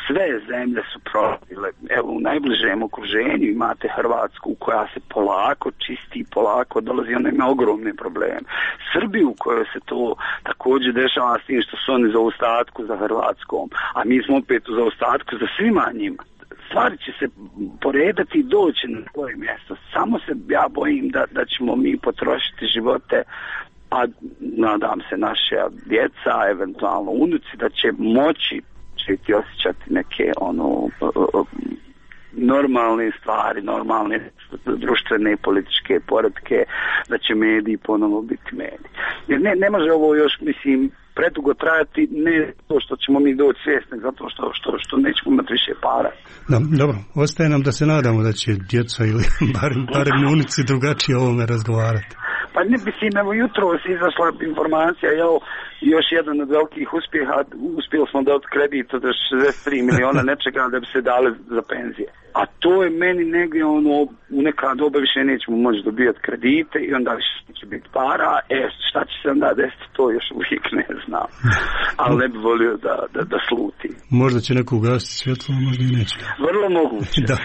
Sve zemlje su prolazile, evo u najbližem okruženju imate Hrvatsku koja se polako čisti, polako dolazi, ona ima ogromne probleme. Srbiju u kojoj se to također dešava s tim što su oni za ostatku za Hrvatskom, a mi smo opet u zaostatku za svima njima. Stvari će se poredati i doći na svoje mjesto. Samo se ja bojim da, da ćemo mi potrošiti živote, a nadam se naše djeca, eventualno unuci, da će moći i osjećati neke ono normalne stvari, normalne društvene i političke poretke, da će mediji ponovo biti mediji. Jer ne, ne može ovo još, mislim, predugo trajati, ne to što ćemo mi doći svjesni, zato što, što, što nećemo imati više para. Da, dobro, ostaje nam da se nadamo da će djeca ili barem, barem na ulici drugačije o ovome razgovarati. Pa ne mislim, evo jutro si izašla informacija, evo još jedan od velikih uspjeha, uspjeli smo dobiti kredit od šezdeset tri miliona nečega da bi se dali za penzije. A to je meni negdje ono, u neka doba više nećemo moći dobijati kredite i onda više će biti para, e šta će se onda desiti, to još uvijek ne znam. Ali ne bi volio da, da, da sluti. Možda će neko ugasiti svjetlo, možda i neće. Vrlo moguće. Da.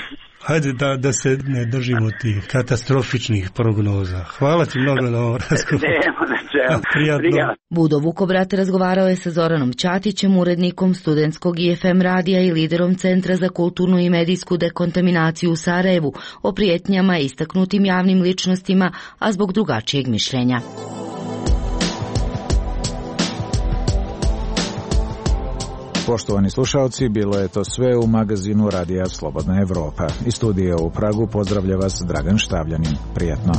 Hajde da, da se ne držimo tih katastrofičnih prognoza. Hvala ti mnogo na ovom razgovoru. Nema na čemu. Prijatno. Budo Vukobrat razgovarao je sa Zoranom Ćatićem, urednikom studentskog I F M radija i liderom Centra za kulturnu i medijsku dekontaminaciju u Sarajevu o prijetnjama istaknutim javnim ličnostima, a zbog drugačijeg mišljenja. Poštovani slušalci, bilo je to sve u magazinu Radija Slobodna Evropa. Iz studija u Pragu pozdravlja vas Dragan Štavljanin. Prijetno.